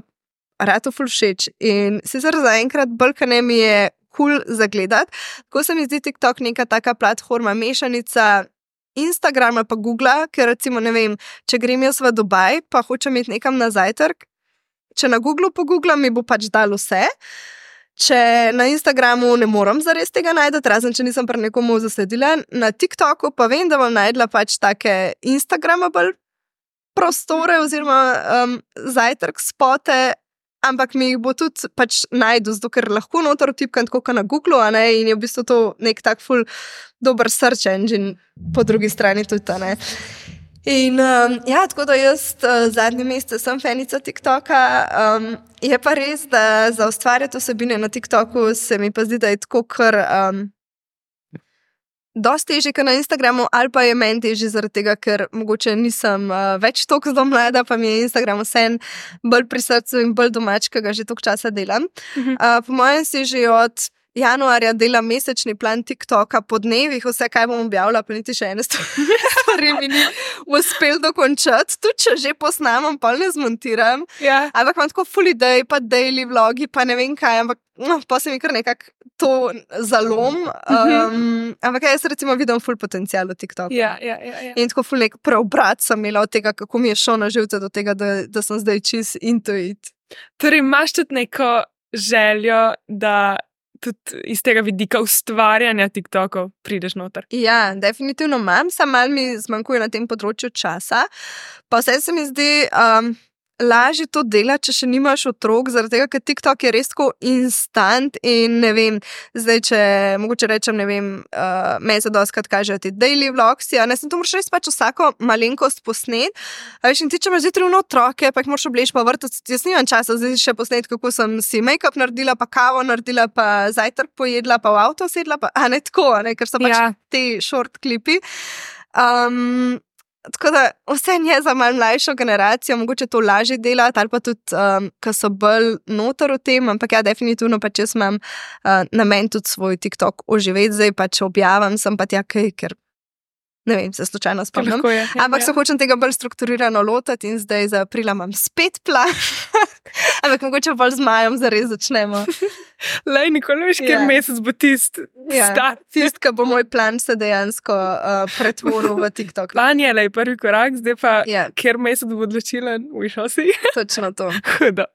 rado ful všeč. In sicer zaenkrat bolj mi je kul cool zagledati, tako se mi zdi TikTok neka taka platforma, mešanica Instagrama pa Googla, ker recimo, ne vem, če grem jaz v Dubaj pa hočem iti nekam na zajtrk, če na Googlu pogooglam, mi bo pač dal vse. Če na Instagramu ne moram zares tega najti, razen če nisem pri nekomu zasledila, na TikToku pa vem, da bom najdla pač take Instagramable prostore oziroma um, zajtrk spote, ampak mi jih bo tudi pač najdu, zato ker lahko noter vtipkam tako kot na Googlu, a ne, in je v bistvu to nek tak ful dober search engine po drugi strani tudi, ne. In um, ja, tako da jaz uh, zadnji mesec sem fanica TikToka, um, je pa res, da za ustvarjati vsebine na TikToku se mi pa zdi, da je tako kar um, dosti težje kot na Instagramu, ali pa je meni težje zaradi tega, ker mogoče nisem uh, več toliko zelo mlada, pa mi je Instagram vsem bolj pri srcu in bolj domač, ki ga že toliko časa delam. Uh-huh. Uh, po mojem si že od januarja delam mesečni plan TikToka po dnevih, vse, kaj bom objavila, pa niti še ene stvari mi ni uspel dokončati. Tudi če že posnamem, pa ne zmontiram. Ja. Ampak imam tako full idej, pa daily vlogi, pa ne vem kaj, ampak no, pa se mi kar nekako to zalom. Um, ampak jaz recimo vidim full potencial v TikToku. Ja, ja, ja, ja. In tako full nek preobrat sem imela od tega, kako mi je šlo na živce do tega, da, da sem zdaj čist into it. Torej, imaš tudi neko željo, da tudi iz tega vidika ustvarjanja TikTokov prideš noter? Ja, definitivno imam, samo malo mi zmanjkuje na tem področju časa. Pa vse se mi zdi um, lažje to delati, če še nimaš otrok, zaradi tega, ker TikTok je res tako instant in ne vem, zdaj, če mogoče rečem, ne vem, uh, meni se dostikrat kažejo ti daily vlogs, ja, ne, sem to moraš res pač vsako malenkost posnet, a veš, in ti, če imaš zjutraj ono otroke, pa jih moraš obleči pa vrtati, jaz nimam časa zdaj še posnet, kako sem si make-up naredila, pa kavo naredila, pa zajtrk pojedla, pa v avto sedla, pa, a ne tako, a ne, ker so pač Ja. ti short klipi. Um, Tako da vse je za malo mlajšo generacijo, mogoče to lažje delati, ali pa tudi, um, ki so bolj noter v tem, ampak ja, definitivno pač jaz imam uh, namen tudi svoj TikTok oživeti, zdaj pač objavim, sem pa tja kaj, ker ne vem, se slučajno spomnim. Lahko je, ja, Ampak se ja. hočem tega bolj strukturirano lotati in zdaj za aprila imam spet plan. Ampak mogoče bolj z majem zares začnemo. Lej, nikoli veš, kjer Ja. mesec bo tist Ja. start. Tist, ki bo moj plan se dejansko uh, pretvoril v TikTok. Plan je, lej, prvi korak, zdaj pa, Ja, kjer mesec bo odločilen, we shall see. točno to. Hudo.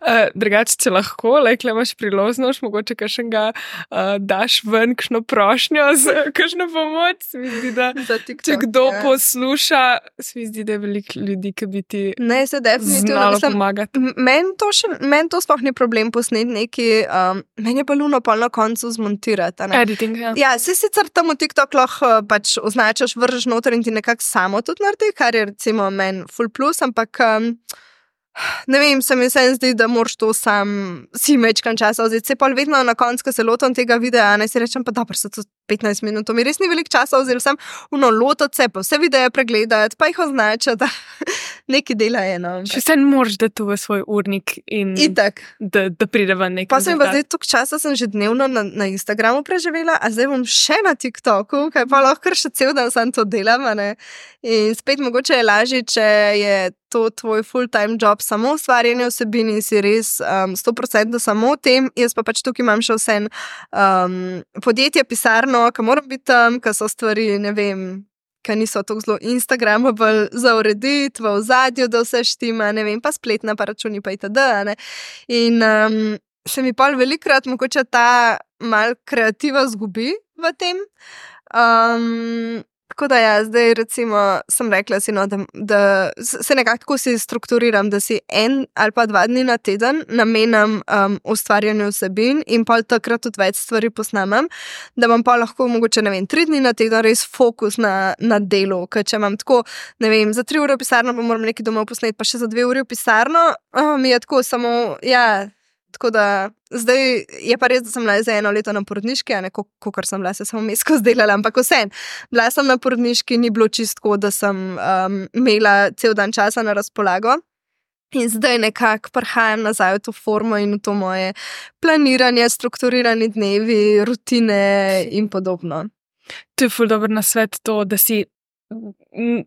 Uh, drugače, če lahko, lejkle imaš priložnost, mogoče kakšnega uh, daš ven, kakšno prošnjo z kakšno pomoč. Se mi zdi, da Za TikTok, če kdo ja. posluša, se mi zdi, da je veliko ljudi, ki bi ti Ne, se definitivno znalo mislim, pomagati. m- Meni to, še- meni to sploh ni problem posneti neki, um, meni je pa luno pol na koncu zmontirati. a ne. Editing, ja. Ja, se sicer tam v TikTok lahko uh, pač označaš, vržeš noter in ti nekako samo tudi naredi, kar je recimo meni full plus, ampak um, ne vem, se mi vseeno zdi, da moraš to sam si mečkan časa vzeti. Se pa vedno na koncu, ko se lotam tega videa, ne si rečem, pa dobro, se to petnajst minut, to mi res ni veliko časa vzeli, sem uno lotati se, pa vse videe pregledati, pa jih označati, neki dela je, no. Še vse moraš dati v svoj urnik in Itak. da, da pride ven nekaj. Pa sem pa zdaj toliko časa sem že dnevno na, na Instagramu preživela, a zdaj bom še na TikToku, kaj pa lahko kar še cel dan sam to delam, a ne. In spet mogoče je lažje, če je to tvoj full-time job, samo ustvarjanje vsebin in si res um, sto procentno samo v tem, jaz pa pač tukaj imam še vse um, podjetje, pisarno, ki moram biti tam, ki so stvari, ne vem, ki niso tako zelo instagramable za urediti, v ozadju, da vse štima, ne vem, pa spletna, pa računi, pa itd. Ne? In um, se mi pol velikrat mogoče ta mal kreativa zgubi v tem. Um, Tako da ja, zdaj recimo sem rekla si, no, da, da se nekako tako si strukturiram, da si en ali pa dva dni na teden namenam um, ustvarjanju vsebin in pa takrat tudi več stvari posnamem, da bom pa lahko mogoče, ne vem, tri dni na teden res fokus na, na delu, ker če imam tako, ne vem, za tri ure v pisarno, pa moram nekaj domov posneti, pa še za dve uri v pisarno, oh, mi je tako samo, ja... Tako da zdaj je pa res, da sem bila za eno leto na porodniški, a ne kakor sem bila, se samo mesko zdelala, ampak vseeno. Bila sem na porodniški, ni bilo čistko, da sem um, imela cel dan časa na razpolago. In zdaj nekako prihajam nazaj v to formo in v to moje planiranje, strukturirani dnevi, rutine in podobno. To je ful dober nasvet to, da si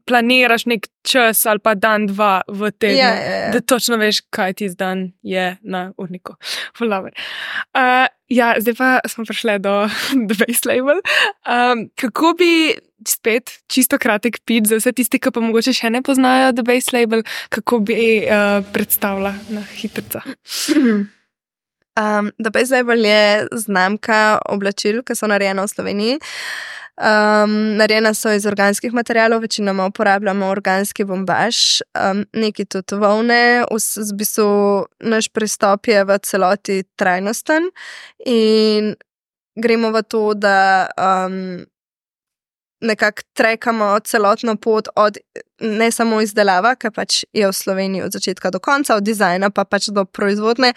planiraš nek čas ali pa dan, dva v tednu, yeah, yeah, yeah. Da točno veš, kaj ti zdan je na urniku. Uh, ja, zdaj pa smo prišli do The Base Label. Um, kako bi spet čisto kratek pitch za vse tisti, ki pa mogoče še ne poznajo The Base Label, kako bi uh, predstavila na hitrica? Um, The Base Label je znamka oblačil, ki so narejena v Sloveniji. Um, narejena so iz organskih materialov, večinoma uporabljamo organski bombaž, um, neki tudi volne, v bistvu naš pristop je v celoti trajnosten in gremo v to, da um, nekako trekamo celotno pot od ne samo izdelava, ki pač je v Sloveniji od začetka do konca, od dizajna pa pač do proizvodne,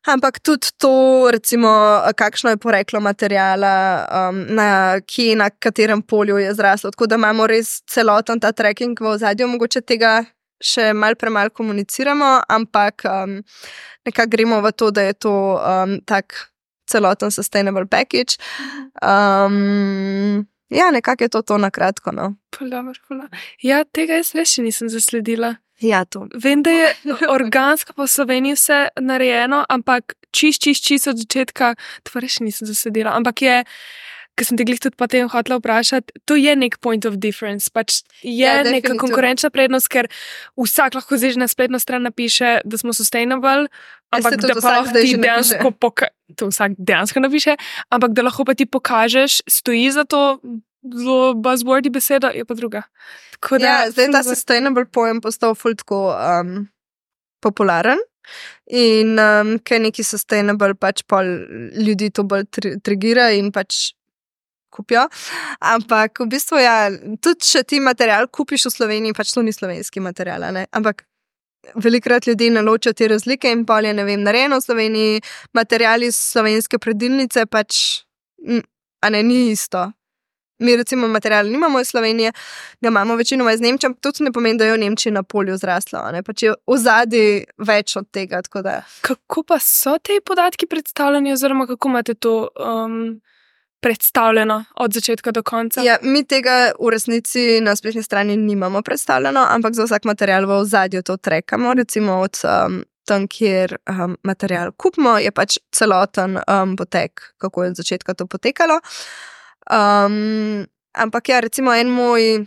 ampak tudi to, recimo, kakšno je poreklo materijala, um, na kje, na katerem polju je zraslo. Tako da imamo res celoten ta tracking v ozadju. Mogoče tega še mal premal komuniciramo, ampak um, nekako gremo v to, da je to um, tak celoten sustainable package. Um, ja, nekako je to to na kratko, no. Dobar, ja, tega jaz res še nisem zasledila. Ja, to. Vem, da je organsko po Sloveniji vse narejeno, ampak čist, čist, čist od začetka, to res nisem zasledila, ampak je, ker sem te glih tudi potem hotela vprašati, to je nek point of difference, pač je ja, neka konkurenčna prednost, ker vsak lahko zdaj na spletno stran napiše, da smo sustainable, ampak da pa lahko ti dejansko poka- to vsak dejansko napiše, ampak da lahko pa ti pokažeš, stoji za to zelo buzzwordy beseda, je pa druga. Da, ja, zdaj ta sustainable pojem postal ful tako um, popularen in um, ker neki sustainable pač pol ljudi to bolj tri- trigira in pač kupijo, ampak v bistvu ja, tudi če ti material kupiš v Sloveniji, pač to ni slovenski material, ne? Ampak velikrat ljudi naločijo te razlike in pol je, ne vem, narejeno v Sloveniji, materiali iz slovenske predilnice pač, a ne, ni isto. Mi recimo material nimamo iz Slovenije, ga imamo večinoma iz Nemčije, ampak to ne pomeni, da je v Nemčiji na polju zraslo, ne? Pač je ozadje več od tega, tako da. Kako pa so te podatki predstavljeni, oziroma kako imate to um, predstavljeno od začetka do konca? Ja, mi tega v resnici na spletni strani nimamo predstavljeno, ampak za vsak material v ozadju to trekamo, recimo od um, tam, kjer um, material kupimo, je pač celoten um, potek, kako je od začetka to potekalo. Um, ampak ja, recimo en moj,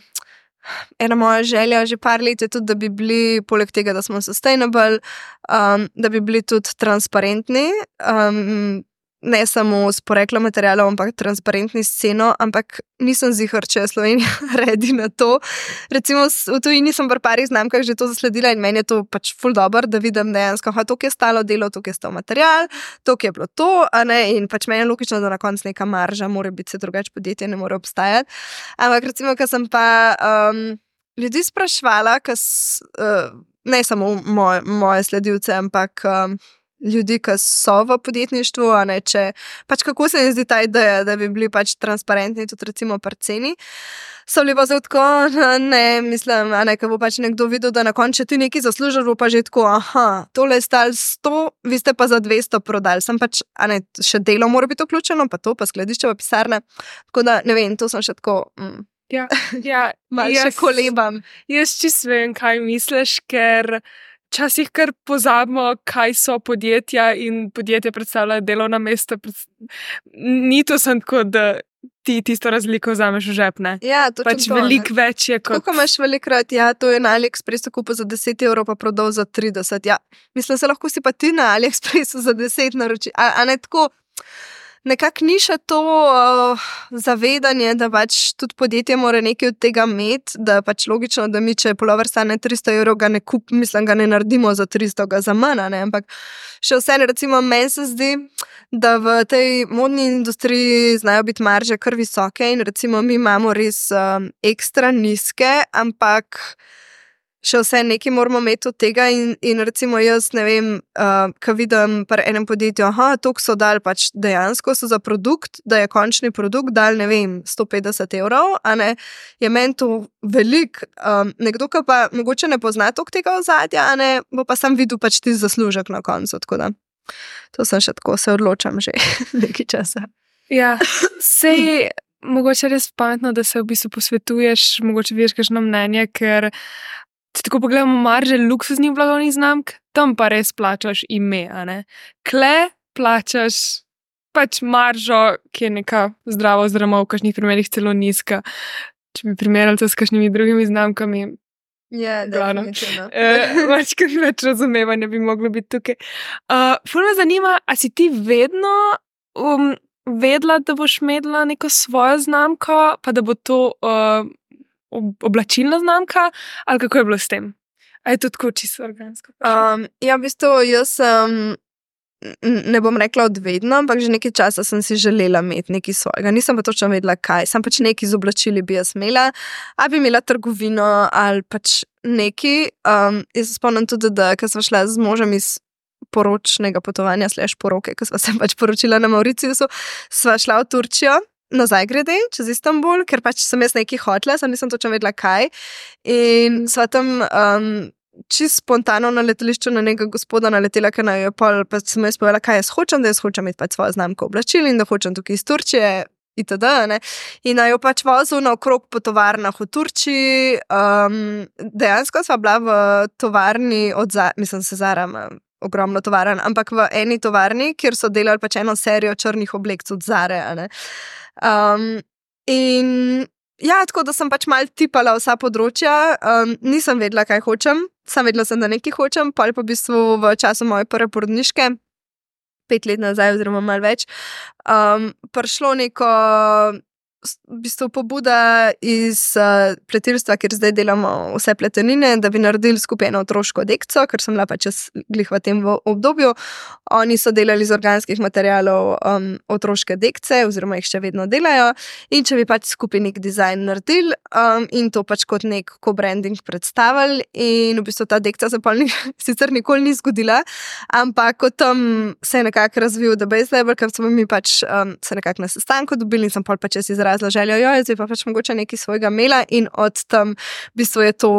ena moja želja že par let je tudi, da bi bili, poleg tega, da smo sustainable, um, da bi bili tudi transparentni, um, ne samo s poreklom materialov, ampak transparentni s ceno, ampak nisem ziher, če je Slovenija redi na to. Recimo v tujini sem v parih znamkah že to zasledila in meni je to pač ful dobro, da vidim dejansko, ha, toliko je stalo delo, toliko je stal material, toliko je bilo to, a ne, in pač meni je logično, da na koncu neka marža mora biti, se drugače podjetje ne more obstajati. Ampak recimo, ko sem pa um, ljudi sprašvala, kas, uh, ne samo moj, moje sledilce, ampak um, ljudi, ki so v podjetništvu, a ne, če, pač kako se mi zdi ta ideja, da bi bili pač transparentni tudi recimo pri ceni, so bili pa zelo tako, ne, mislim, a ne, ko bo pač nekdo videl, da na koncu, če ti nekaj zaslužiš, bo pa že tako, aha, tole je stalo sto, vi ste pa za dvesto prodali, sem pač, a ne, še delo mora biti vključeno, pa to, pa skladišče, pa pisarne, tako da, ne vem, to sem še tako, mm. Ja, ja, malo še kolebam. Jaz čisto vem, kaj misliš, ker včasih kar pozabimo, kaj so podjetja in podjetja predstavljajo delovna mesta. Ni to samo tako, da ti tisto razliko vzameš v žep, ne? Ja, točno pač to. veliko več je kot... Koliko imaš velikrat, ja, to je na AliExpressu kupil za deset evrov, pa prodal za trideset. Ja, mislim, se lahko si pa ti na AliExpressu za deset naroči. A, a ne tako, nekako ni še to uh, zavedanje, da pač tudi podjetje mora nekaj od tega imeti, da pač logično, da mi, če pulover stane tristo evrov, ga ne kup, mislim, ga ne naredimo za tristo, ga za manj, ne, ampak še vse, recimo, meni se zdi, da v tej modni industriji znajo biti marže kar visoke in recimo mi imamo res um, ekstra nizke, ampak še vse nekaj moramo imeti od tega in, in recimo jaz ne vem, uh, ko vidim pri enem podjetju, aha, toliko so dal pač dejansko so za produkt, da je končni produkt dal, ne vem, sto petdeset evrov, a ne, je meni to velik, um, nekdo, ki pa mogoče ne pozna toliko tega ozadja, a ne, bo pa sam videl pač ti zaslužek na koncu, tako da. To sem še tako, se odločam že nekaj časa. Ja, sej mogoče res pametno, da se v bistvu posvetuješ, mogoče vidiš kakšno mnenje, ker če tako pogledamo marže luksuznih blagovnih znamk, tam pa res plačaš ime, a ne. Kle plačaš pač maržo, ki je neka zdrava oziroma v kakšnih primerih celo nizka. Če bi primerjali to s kakšnimi drugimi znamkami, Ja, definitivno. Več kot več razumevanja bi moglo biti tukaj. Uh, ful me zanima, a si ti vedno um, vedela, da boš imela neko svojo znamko, pa da bo to uh, oblačilna znamka, ali kako je bilo s tem? A je to tako čisto organsko? Um, ja, v bistvu jaz sem, ne bom rekla od vedno, ampak že nekaj časa sem si želela imeti nekaj svojega. Nisem pa točno vedela, kaj. Sam pač nekaj z oblačili bi jaz imela, ali bi imela trgovino, ali pač nekaj. Um, jaz se spomnim tudi, da ko sva šla z možem iz poročnega potovanja, slash poroke, ko sva se pač poročila na Mauriciusu, sva šla v Turčijo, nazaj grede, čez Istanbul, ker pač sem jaz nekaj hotela, sem nisem točno vedela, kaj. In sva tam... Um, čisto spontano na letališču na nekega gospoda naletela, ker naj je pol, pa sem jaz povedala, kaj jaz hočem, da jaz hočem imeti pač svojo znamko oblačil in da hočem tukaj iz Turčije itd. Ne? In naj jo pač vozil na okrog po tovarnah v Turčiji. Um, dejansko sva bila v tovarni od Zara, mislim se Zara, ogromno tovaran, ampak v eni tovarni, kjer so delali pač eno serijo črnih oblek od Zare. Um, in ja, tako da sem pač malo tipala vsa področja, um, nisem vedela, kaj hočem, sem vedela, sem, da nekaj hočem, pa pa v bistvu v času moje prve porodniške, pet let nazaj oziroma malo več, um, prišlo neko v bistvu pobuda iz uh, pletilstva, kjer zdaj delamo vse pletenine, da bi naredili skupaj eno otroško dekco, ker sem bila pač jaz glih v tem obdobju. Oni so delali iz organskih materialov um, otroške dekce, oziroma jih še vedno delajo. In če bi pač skupaj nek dizajn naredili um, in to pač kot nek co-branding predstavili. In v bistvu ta dekca se pa ni, sicer nikoli ni zgodila, ampak kot tam se je nekako razvil The Base Label, ker smo mi pač um, se nekako na sestanku dobili in sem pol pač jaz izrazila željo, jo, jaz bi pa pač mogoče nekaj svojega imela in od tam v bistvu je to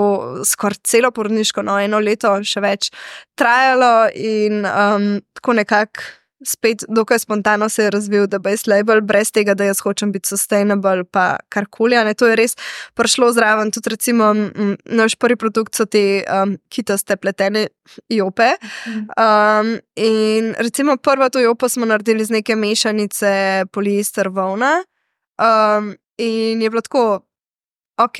skoraj celo porodniško, no eno leto še več trajalo in um, tako nekako spet dokaj spontano se je razvil The Base Label, brez tega, da jaz hočem biti sustainable pa karkoli, ne, to je res prišlo zraven, tudi recimo m, naš prvi produkt so te um, kitaste pletene jope um, in recimo prvo to jopo smo naredili z neke mešanice poliester volna um, in je bilo tako ok,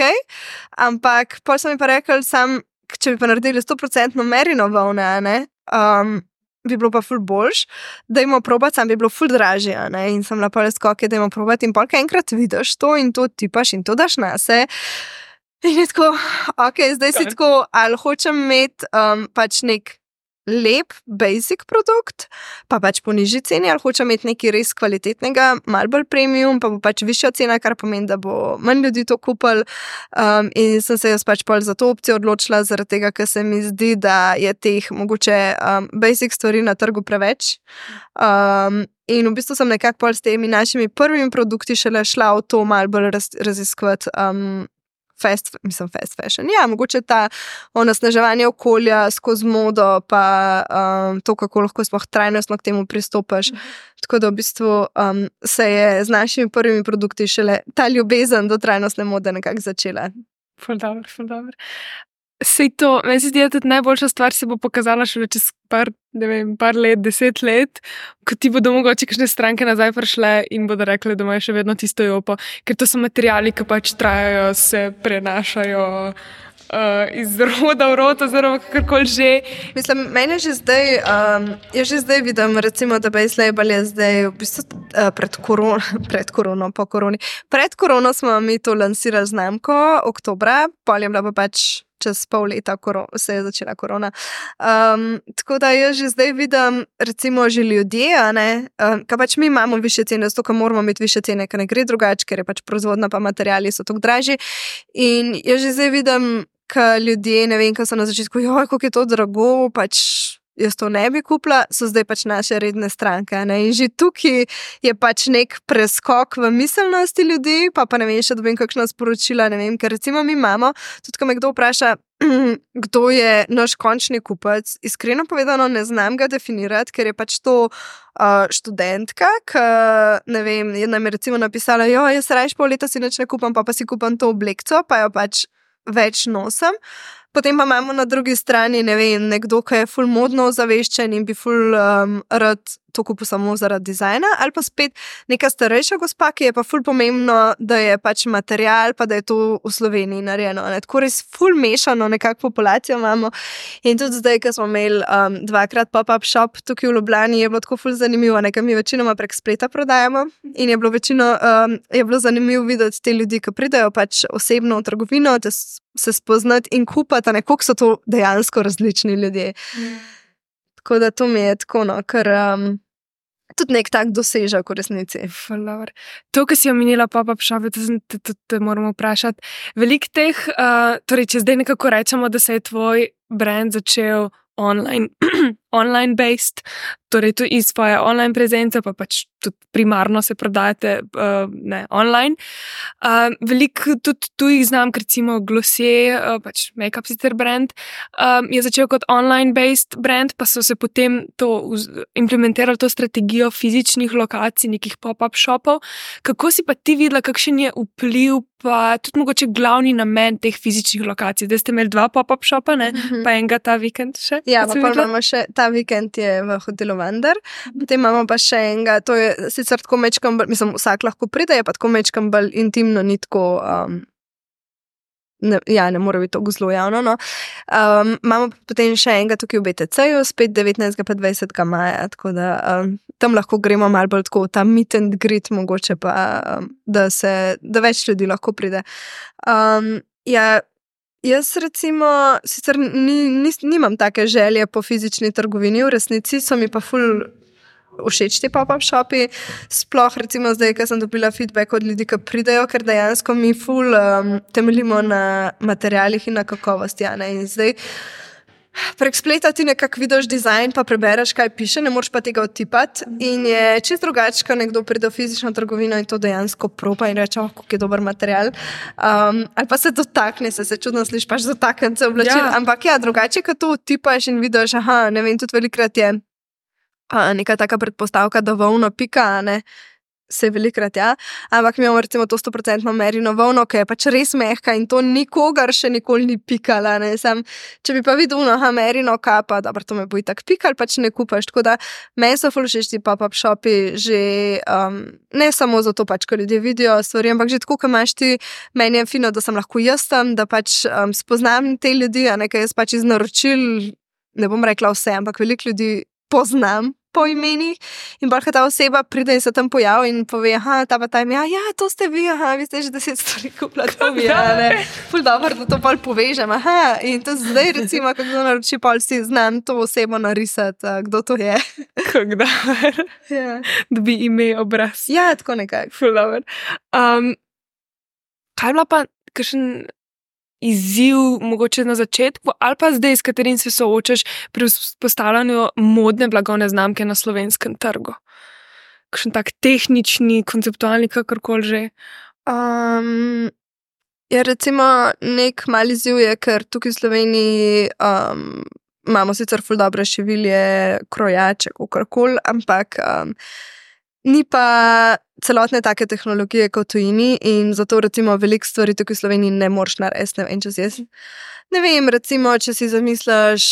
ampak pol so mi pa rekli sam, če bi pa naredili sto procentno merino volne, ne, um, bi bilo pa ful boljš, da imamo probati, sam bi bilo ful dražje, ne, in sem bila pol skoke, da imamo probati in polka enkrat vidiš to in to tipaš in to daš nase. In je tako, ok, zdaj si tako, ali hočem imeti um, pač nek lep, basic produkt, pa pač po nižji ceni, ali hočem imeti nekaj res kvalitetnega, malo bolj premium, pa bo pač višja cena, kar pomeni, da bo manj ljudi to kupil. Um, in sem se jaz pač pol za to opcijo odločila, zaradi tega, ker se mi zdi, da je teh mogoče um, basic stvari na trgu preveč. Um, in v bistvu sem nekako pol s temi našimi prvimi produkti šele šla v to malo bolj raz, raziskovati um, Fast, mislim, fast fashion. Ja, mogoče ta onesnaževanje okolja skozi modo, pa um, to, kako lahko sploh trajnostno k temu pristopaš. Mm. Tako da v bistvu um, se je z našimi prvimi produkti šele ta ljubezen do trajnostne mode nekako začela. Ful dobro, ful dobro. Sej to, meni se zdi, da tudi najboljša stvar se bo pokazala šele čez par, ne vem, par let, deset let, ko ti bodo mogoče kakšne stranke nazaj prišle in bodo rekli, da imajo še vedno tisto jopo, ker to so materiali, ki pač trajajo, se prenašajo uh, iz roda v rod, oziroma kakorkoli že. Mislim, meni že zdaj, um, jaz že zdaj vidim, recimo, da Base Label je zdaj v bistvu uh, pred korono, pred korono, po koroni. Pred korono smo mi to lansirali znamko, oktobra, pol je bila pa pač čez pol leta se je začela korona. Um, tako da jaz že zdaj vidim, recimo, že ljudje, a ne, um, kaj pač mi imamo više cene, zato, ker moramo imeti više cene, ker ne gre drugače, ker je pač proizvodna pa materiali so tako dražji. In jaz že zdaj vidim, ka ljudje, ne vem, kaj so na začetku, joj, kako je to drago, pač jaz to ne bi kupila, so zdaj pač naše redne stranke. Ne? In že tukaj je pač nek preskok v miselnosti ljudi, pa pa ne vem, še dobim kakšna sporočila, ne vem, ker recimo mi imamo, tudi ko me kdo vpraša, kdo je naš končni kupec, iskreno povedano ne znam ga definirati, ker je pač to uh, študentka, ki, ne vem, jedna mi je recimo napisala, jo, jaz rajš pol leta si nič ne kupam, pa pa si kupam to oblekco, pa jo pač več nosim. Potem pa imamo na drugi strani, ne vem, nekdo, ki je ful modno ozaveščen in bi ful um, rad to kupil samo zaradi dizajna, ali pa spet neka starejša gospa, ki je pa ful pomembno, da je pač material, pa da je to v Sloveniji narejeno. Ne? Tako res ful mešano nekako populacijo imamo. In tudi zdaj, ko smo imeli um, dvakrat pop-up shop tukaj v Ljubljani, je bilo tako ful zanimivo, nekaj mi večinoma prek spleta prodajamo in je bilo večino, um, je bilo zanimivo videti te ljudi, ki pridajo pač osebno v trgovino, da se spoznati in kupati, ne, koliko so to dejansko različni ljudje. Mm. Tako da to mi je tako, no, ker um, tudi nek tak dosežek v resnici. Flower. To, ki si omenila pop-up shop, to te, te, te moramo vprašati. Veliko teh, uh, torej, če zdaj nekako rečemo, da se je tvoj brand začel online, online based, torej tu iz svoje online prezence, pa pač tudi primarno se prodajate uh, ne, online. Uh, veliko tudi tujih znamk, recimo Glossier, uh, pač make-up sicer brand, um, je začel kot online based brand, pa so se potem to implementirali to strategijo fizičnih lokacij, nekih pop-up shopov. Kako si pa ti videla, kakšen je vpliv, pa tudi mogoče glavni namen teh fizičnih lokacij? Zdaj ste imeli dva pop-up shopa, ne? Mm-hmm. Pa enega ta vikend še? Ja, pa, pa imamo še, ta vikend je v hotelu Wander, potem imamo pa še enega, to je sicer tako mečkam, mislim, vsak lahko pride, je pa tako mečkam bolj intimno, ni tako, um, ne, ja, ne more biti tako zelo javno, no. Um, imamo potem še enega tukaj v B T C-ju, spet devetnajstega pa dvajsetega maja, tako da um, tam lahko gremo malo bolj tako, ta meet and greet mogoče pa, um, da se, da več ljudi lahko pride. Um, ja, jaz recimo, sicer ni, ni, nimam take želje po fizični trgovini, v resnici so mi pa ful všeč ti pop-up shopi, sploh recimo zdaj, ker sem dobila feedback od ljudi, ki pridejo, ker dejansko mi ful um, temeljimo na materialih in na kakovosti, ja, ne, in zdaj prek spleta ti nekako vidiš dizajn, pa prebereš, kaj piše, ne moreš pa tega odtipati in je čist drugače, ko nekdo pride v fizično trgovino in to dejansko proba in reče, oh, kako je dober material. Um, ali pa se dotakne, se, se čudno sliš, pač dotakne se oblačil, ja. Ampak ja, drugače, ko to odtipaš in vidiš, aha, ne vem, tudi velikrat je a, neka taka predpostavka, da volno pika, ne, se velikrat, ja, ampak mi imamo recimo to sto procentno merino volno, ki je pač res mehka in to nikogar še nikoli ni pikala, ne, sam, če bi pa videl, no, aha, merino kapa, dobro, to me bo itak pikal, pač ne kupaš, tako da meni so ful všeč ti pop-up shopi že, um, ne samo zato pač, ko ljudje vidijo stvari, ampak že tako, ko imaš ti, meni je fino, da sem lahko jaz tam, da pač um, spoznam te ljudi, a nekaj jaz pač iz naročil, ne bom rekla vse, ampak veliko ljudi poznam po imenih in bolj, ta oseba pride in se tam pojavi in pove, aha, ta pa ta ime, ja, to ste vi, aha, vi ste že deset stvari kupila, to vi, ja, ne, ful dobro, da to pol povežem, aha, in to zdaj recimo, kako naroči, pol si znam to osebo narisati, kdo to je. Kako dobro. Ja. Dobi ime, obraz. Ja, tako nekaj. Ful dobro. Um, kaj je bila pa kakšen izziv mogoče na začetku ali pa zdaj, s katerim se soočaš pri postavljanju modne blagovne znamke na slovenskem trgu? Kakšen tak tehnični, konceptualni, kakorkoli že? Um, ja, recimo nek mali izziv je, ker tukaj v Sloveniji um, imamo sicer ful dobre šivilje, krojače, kakorkoli, ampak um, ni pa celotne take tehnologije kot tujini in zato recimo veliko stvari tukaj v Sloveniji ne moreš narediti, ne vem, če si jaz. Ne vem, recimo, če si zamisliš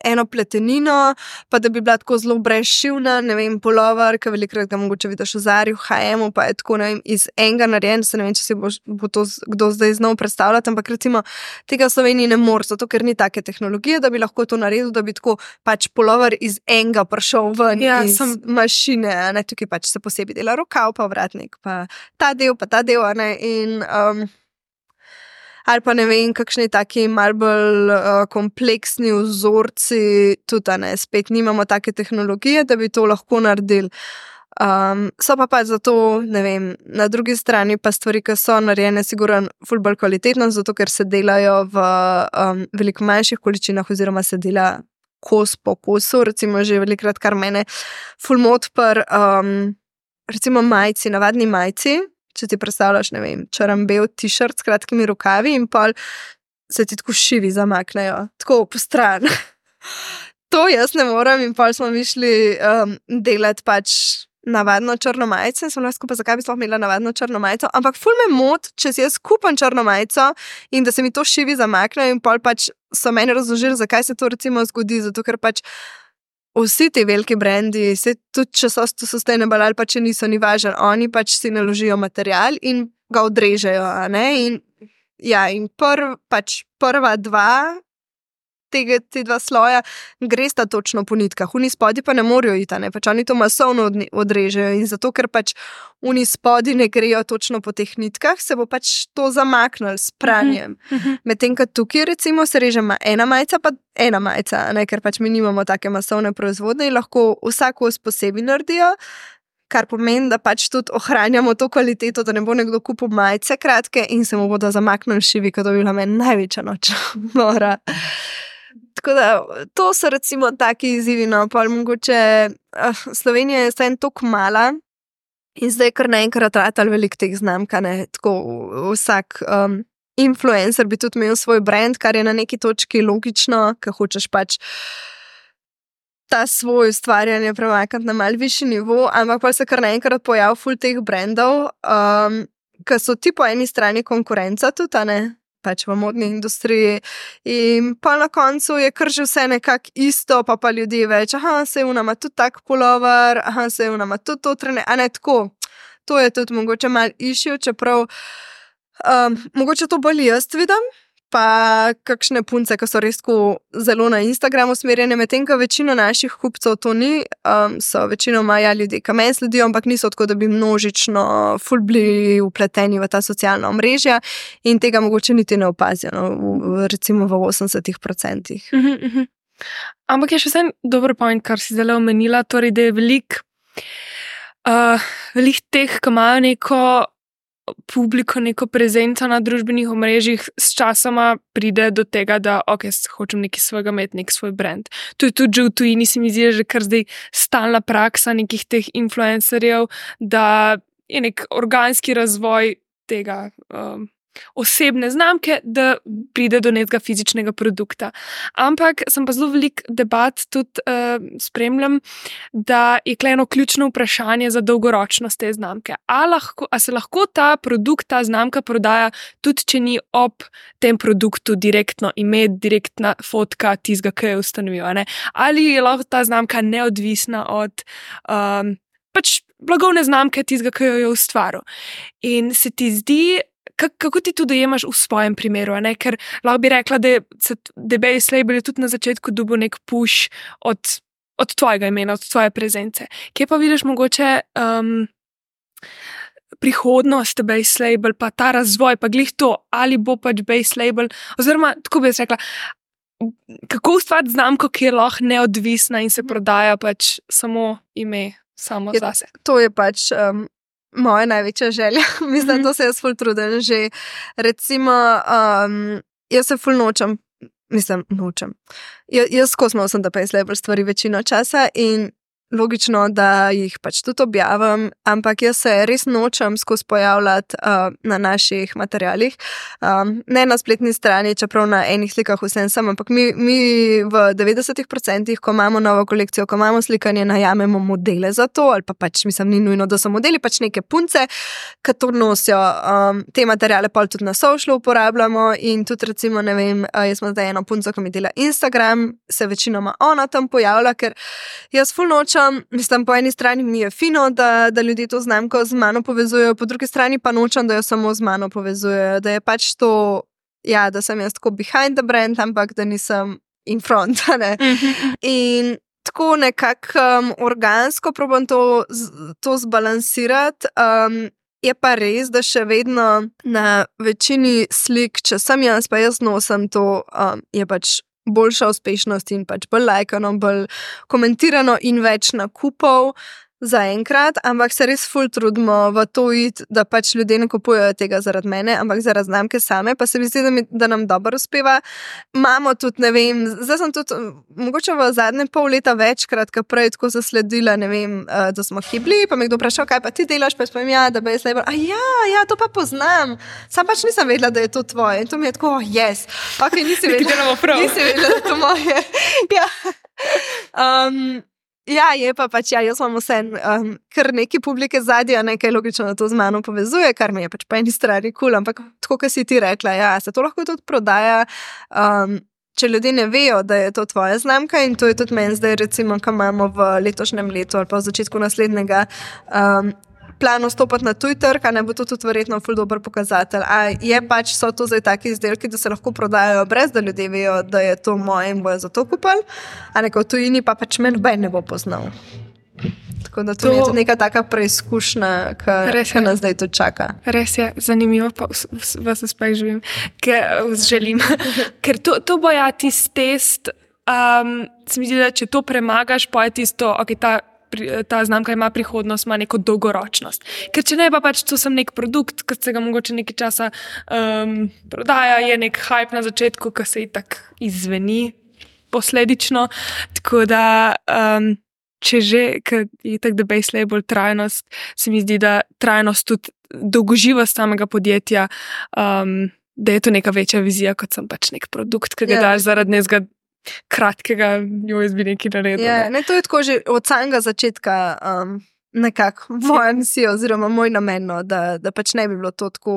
eno pletenino, pa da bi bila tako zelo brezšivna, ne vem, polover, ki velikrat ga mogoče vidiš v Zari, v ha emu, pa je tako, ne vem, iz enega narejen, se ne vem, če si bo, bo to kdo zdaj znal predstavljati, ampak recimo tega v Sloveniji ne moreš, zato ker ni take tehnologije, da bi lahko to naredil, da bi tako pač polover iz enega prišel ven ja, iz sem... mašine, ne, tukaj pač se posebej dela rokav, pa vratnik, pa ta del, pa ta del, ne, in... Um, ali pa ne vem, kakšni taki mal bolj uh, kompleksni vzorci, tudi ne, spet nimamo take tehnologije, da bi to lahko naredili. Um, so pa pa zato, ne vem, na drugi strani pa stvari, ki so narejene, sigurno ful bolj kvalitetno, zato ker se delajo v um, veliko manjših količinah oziroma se dela kos po kosu, recimo že velikrat, kar mene ful mot per um, recimo majci, navadni majci, če ti predstavljaš, ne vem, črn-bel t-shirt s kratkimi rokavi in pol se ti tako šivi zamaknejo, tako po stran. To jaz ne morem in pol smo mišli um, delati pač navadno črno majico in sem lahko pa zakaj bi sploh imela navadno črno majico, ampak ful me mot, če si jaz kupam črno majico in da se mi to šivi zamaknejo in pol pač so meni razložili, zakaj se to recimo zgodi, zato ker pač vsi ti veliki brendi, se tudi če so sustainable ali pa če niso, ni važno, oni pač si naložijo material in ga odrežejo, a ne, in ja, in prv, pač prva dva tega, te dva sloja gresta točno po nitkah, oni spodi pa ne morajo iti, ne, pač oni to masovno odrežejo in zato, ker pač oni spodi ne grejo točno po teh nitkah, se bo pač to zamaknilo s pranjem. Uh-huh. Medtem, ko tukaj recimo se reže ena majica, pa ena majica, ne, ker pač mi nimamo take masovne proizvodne in lahko vsako posebej naredijo, kar pomeni, da pač tudi ohranjamo to kvaliteto, da ne bo nekdo kupil majice kratke in se mu bodo zamaknili šivi, kot bi bila meni največja noč mora. Tako da, to so recimo taki izzivi, no, pa mogoče uh, Slovenija je stajno toliko mala in zdaj kar naenkrat ratal veliko teh znamk, ne, tako vsak um, influencer bi tudi imel svoj brand, kar je na neki točki logično, ker hočeš pač ta svoj ustvarjanje premakniti na mal višji nivo, ampak pa se kar naenkrat pojav ful teh brandov, um, ki so ti po eni strani konkurenca tudi, ne, pač v modni industriji in pa na koncu je kar že vse nekako isto, pa pa ljudje več, aha, se je unama tudi tak polover, aha, se je unama tudi to trene, a ne tako, to je tudi mogoče mal issue, čeprav um, mogoče to bolj jaz vidim, pa kakšne punce, ki so res tako zelo na Instagramu usmerjene, medtem, ko večino naših kupcev to ni, um, so večinoma ja ljudje, ki meni sledijo, ampak niso tako, da bi množično ful bili vpleteni v ta socialna omrežja in tega mogoče niti ne opazijo, no, v, recimo v osemdesetih procentih. Uh-huh, uh-huh. Ampak je še vsem dober point, kar si zdaj omenila, torej, da je velik, uh, velik teh, ki imajo neko publiko, neko prezenco na družbenih omrežjih, s časoma pride do tega, da ok, hočem nekaj svojega imeti, nek svoj brand. To je tudi že v tujini, se mi zdi, že kar zdaj stalna praksa nekih teh influencerjev, da je nek organski razvoj tega um, osebne znamke, da pride do nekega fizičnega produkta. Ampak sem pa zelo velik debat tudi uh, spremljam, da je kleno ključno vprašanje za dolgoročnost te znamke. A, lahko, a se lahko ta produkt, ta znamka prodaja tudi, če ni ob tem produktu direktno ime, direktna fotka tizga, ki je ustanovil, ne? Ali je lahko ta znamka neodvisna od um, pač blagovne znamke tizga, ki jo je ustvaril. In se ti zdi, kako ti to dojemaš v svojem primeru, ne? Ker lahko bi rekla, da je Base Label tudi na začetku dobil nek push od, od tvojega imena, od tvoje prezence. Kje pa vidiš mogoče um, prihodnost Base Label, pa ta razvoj, pa glih to, ali bo pač Base Label, oziroma, tako bi jaz rekla, kako ustvariti znamko, ki je lahko neodvisna in se prodaja pač samo ime, samo je, zase. To je pač... Um... moja največja želja. Mislim, da to se jaz ful trudim že. Recimo, um, jaz se ful nočem, mislim, nočem. Ja, jaz skosmo sem, da Base Label stvari večino časa in logično, da jih pač tudi objavim, ampak jaz se res nočem skozi pojavljati uh, na naših materialih. Um, ne na spletni strani, čeprav na enih slikah vsem sem, ampak mi, mi v devetdesetih procentih, ko imamo novo kolekcijo, ko imamo slikanje, najamemo modele za to, ali pa pač mislim, ni nujno, da so modeli, pač neke punce, ki to nosijo. Um, te materiale pa tudi na socialu uporabljamo in tudi recimo, ne vem, uh, jaz sem zdaj eno punco, ki mi dela Instagram, se večinoma ona tam pojavlja, ker jaz ful nočem. Mislim, po eni strani mi je fino, da, da ljudje to znamko z mano povezujejo, po drugi strani pa nočem, da jo samo z mano povezujejo, da je pač to, ja, da sem jaz tako behind the brand, ampak da nisem in front, ne. In tako nekako um, organsko probam to, to zbalansirati. Um, je pa res, da še vedno na večini slik, če sem jaz, pa jaz nosim to, um, je pač boljša uspešnost in pač bolj lajkano, bolj komentirano in več nakupov za enkrat, ampak se res ful trudimo v to iti, da pač ljudje ne kupujejo tega zaradi mene, ampak zaradi znamke same, pa se mi zdi, da, mi, da nam dobro uspeva. Imamo tudi, ne vem, zdaj sem tudi mogoče v zadnje pol leta večkrat, ka prej tako zasledila, ne vem, da smo hibli, pa me kdo vprašal, kaj pa ti delaš, pa spomnim, ja, da bi jaz label, a ja, ja, to pa poznam, sam pač nisem vedela, da je to tvoje in to mi je tako, oh, yes, ok, nisi vedela, nisi vedela, da je to moje. Ja. Um, Ja, je pa pač, ja, jaz imam vse, um, kar neki publike zadnja, nekaj logično, da to z mano povezuje, kar mi je pač po eni strani kul, cool, ampak tako, kot si ti rekla, ja, se to lahko tudi prodaja, um, če ljudje ne vejo, da je to tvoja znamka in to je tudi meni zdaj, recimo, ko imamo v letošnjem letu ali pa v začetku naslednjega um, planu stopati na tuj trg, a ne bo to tudi verjetno ful dober pokazatelj. A je pač, so to zdaj taki izdelki, da se lahko prodajajo brez, da ljudje vejo, da je to moje in bojo za to kupili, a neko v tujini pa pač meni noben ne bo poznal. Tako da to, to je tudi neka taka preizkušnja, ki nas zdaj tudi čaka. Res je, zanimivo, pa vas uspeh živim, ker želim. Ker to, to bo ja tisti test, um, se mi zdi, da če to premagaš, pa je tisto, ok, ta ta znamka ima prihodnost, ima neko dolgoročnost. Ker če ne, pa pač to sem nek produkt, ki se ga mogoče nekaj časa um, prodaja, je nek hype na začetku, ki se itak izveni posledično. Tako da, um, če že, ker je tak the base label trajnost, se mi zdi, da trajnost tudi dolgoživost samega podjetja, um, da je to neka večja vizija, kot sem pač nek produkt, ki ga yeah. daš zaradi nezga kratkega, jo jaz bi nekaj naredil. Ja, ne, to je tako že od samega začetka um, nekako moja misija oziroma moj namen, da, da pač ne bi bilo to tako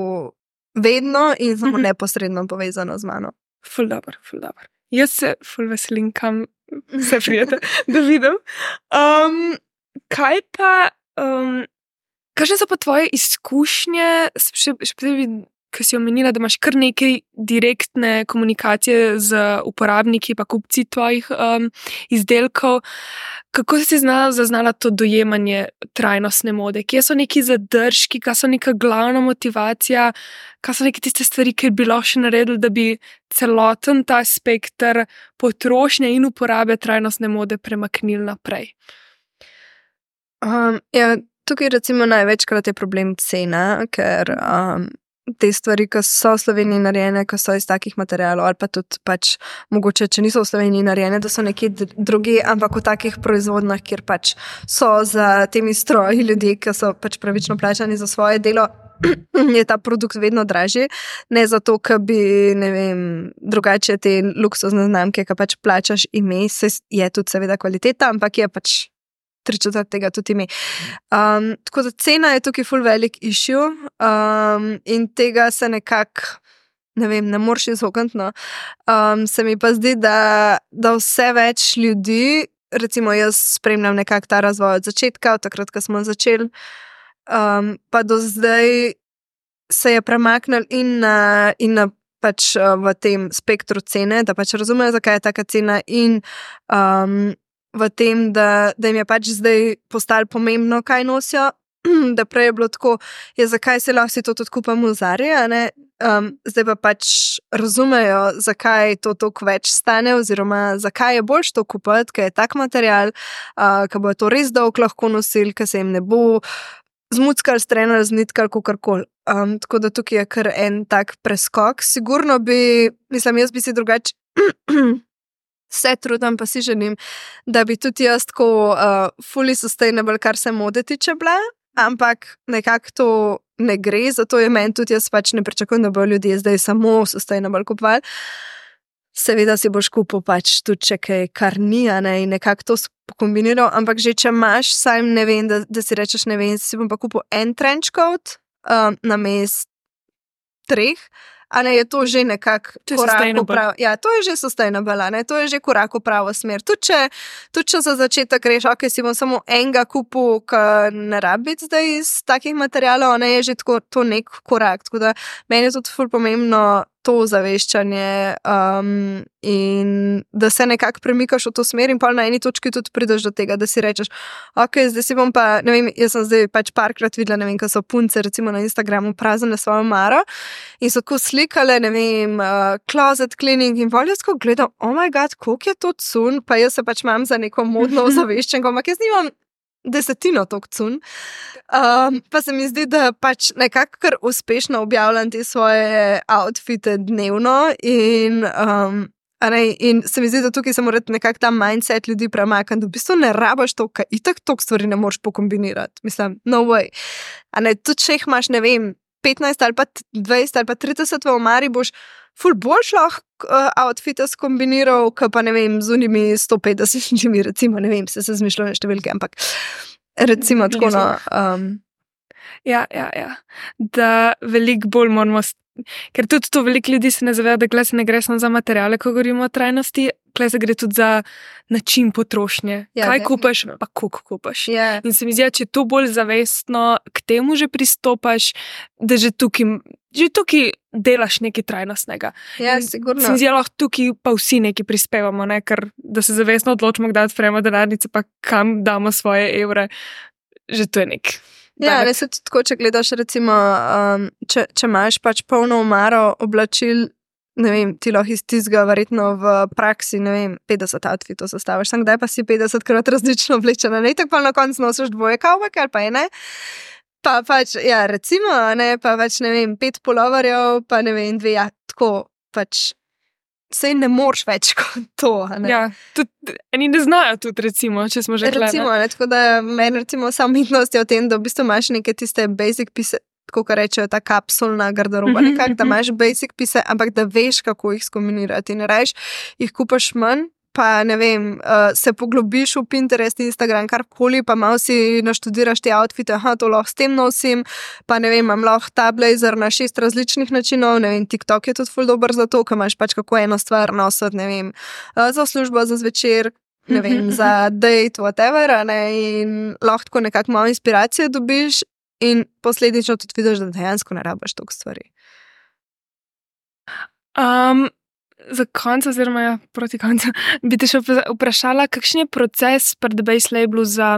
vedno in samo mm-hmm. neposredno povezano z mano. Ful dobro, ful dobro. Jaz se ful veselim, kam se prijete, da vidim. Um, kaj pa, um, kakšne so pa tvoje izkušnje, še, še posebej, ki si omenila, da imaš kar nekaj direktne komunikacije z uporabniki pa kupci tvojih um, izdelkov. Kako si znala, zaznala to dojemanje trajnostne mode? Kje so neki zadržki, kaj so neka glavna motivacija, kaj so neke tiste stvari, ki bi lahko še naredili, da bi celoten ta spektr potrošnje in uporabe trajnostne mode premaknili naprej? Um, ja, tukaj recimo največkrat je problem cena, ker um, te stvari, ki so v Sloveniji narejene, ki so iz takih materialov, ali pa tudi pač mogoče, če niso v Sloveniji narejene, da so nekje drugi, ampak v takih proizvodnjah, kjer pač so za temi stroji ljudje, ki so pač pravično plačani za svoje delo, je ta produkt vedno dražji. Ne zato, ker bi, ne vem, drugače te luksuzne znamke, ki pač plačaš ime, se je tudi seveda kvaliteta, ampak je pač tri četrt tega tudi ime. Um, tako da cena je tukaj ful velik issue um, in tega se nekako, ne vem, ne moreš izogniti. No. Um, se mi pa zdi, da, da vse več ljudi, recimo jaz spremljam nekako ta razvoj od začetka, od takrat, ko smo začeli, um, pa do zdaj se je premaknil in na, in na pač uh, v tem spektru cene, da pač razumejo, zakaj je taka cena in um, v tem, da, da jim je pač zdaj postalo pomembno, kaj nosijo, da prej je bilo tako, je zakaj se lahko si to tudi kupam v Zari, a ne? Um, zdaj pa pač razumejo, zakaj to toliko več stane oziroma zakaj je boljš to kupati, ker je tak material, uh, ker bo to res dolgo lahko nosili, ker se jim ne bo zmuckal, strenal, znitkal, kakorkoli. Um, tako da tukaj je kar en tak preskok. Sigurno bi, mislim, jaz bi si drugače se trudim, pa si želim, da bi tudi jaz tako uh, fully sustainable, kar se mode tiče bila, ampak nekako to ne gre, zato je meni tudi, jaz pač ne pričakujem, da bo ljudje zdaj samo sustainable kupovali. Seveda si boš kupil pač tudi če kaj, kar ni, ne, in nekako to kombiniral, ampak že če imaš, sam ne vem, da, da si rečeš, ne vem, si bom pa kupil en trench coat um, na mest treh, a ne, je to že nekako korak v pravo. Ja, to je že sustainable, ne, to je že korak v pravo smer. Tudi če, tudi če za začetek reš, ok, si bom samo enega kupil, ki ne rabi zdaj iz takih materialov, ne, je že tako, to nek korak. Tako da meni je tudi ful pomembno to zaveščanje um, in da se nekako premikaš v to smer in pa na eni točki tudi prideš do tega, da si rečeš, ok, zdaj si bom pa, ne vem, jaz sem zdaj pač parkrat videla, ne vem, ko so punce recimo na Instagramu praznile svojo maro in so tako slikale, ne vem, uh, closet cleaning in voljo tako gledam, oh my god, koliko je to cun, pa jaz se pač imam za neko modno zaveščenko, ampak jaz nimam desetino tok cun. Um, pa se mi zdi, da pač nekako kar uspešno objavljam te svoje outfite dnevno in, um, ne, in se mi zdi, da tukaj se mora nekako ta mindset ljudi premakniti, da v bistvu ne rabaš to, kaj itak tok stvari ne moreš pokombinirati. Mislim, no way. A ne, tudi če jih imaš, ne vem, petnajst ali pa dvajset ali pa trideset v omari, boš ful boljš lahko uh, outfite skombiniral, ka pa ne vem, z unimi sto petdesetimi, recimo, ne vem, se se zmišljamo številke, ampak recimo tako, no. Um, ja, ja, ja. Da veliko bolj moramo, ker tudi to veliko ljudi se ne zaveda, da glede se ne gre samo za materiale, ko govorimo o trajnosti, glede se gre tudi za način potrošnje. Ja, kaj kupaš, pa koliko kupaš. Yeah. In se mi zdi, če to bolj zavestno k temu že pristopaš, da že tukaj, že tukaj delaš nekaj trajnostnega. Ja, sigurno. Se mi zdi, lahko tukaj pa vsi nekaj prispevamo, ne? Ker da se zavestno odločimo, kdaj odpremo denarnice, pa kam damo svoje evre, že to je nek. Ja, res je tudi tako, če gledaš recimo, um, če, če imaš pač polno omaro oblačil, ne vem, ti lahko iz tizga verjetno v praksi, ne vem, petdeset outfitov sestaviš, sem kdaj pa si petdesetkrat različno oblečena, ne, tako pa na koncu nosiš dvoje kavbake ali pa ene, pa pač, ja, recimo, ne, pa pač, ne vem, pet polovarjev, pa ne vem, dve, ja, tako, pač, sej ne moreš več kot to, ne. Ja, tudi, eni ne znajo tudi, recimo, če smo že gledali. Recimo, ne, tako da meni, recimo, samomitnost je v tem, da v bistvu imaš neke tiste basic pise, tako kar rečejo, ta kapsulna garderoba, nekak, da imaš basic pise, ampak da veš, kako jih skombinirati in reš, jih kupaš manj, pa ne vem, uh, se poglobiš v Pinterest, Instagram, karkoli, pa malo si naštudiraš te outfite, aha, to lahko s tem nosim, pa ne vem, imam lahko ta blazer na šest različnih načinov, ne vem, TikTok je tudi ful dober za to, ko imaš pač kako eno stvar nositi, ne vem, uh, za službo, za zvečer, ne vem, za date, whatever, ne, in lahko tako nekako malo inspiracije dobiš in posledično tudi vidiš, da dejansko ne rabaš toliko stvari. Um, za konec, oziroma ja, proti koncu, bi te še vprašala, kakšen je proces pri The Base Labelu za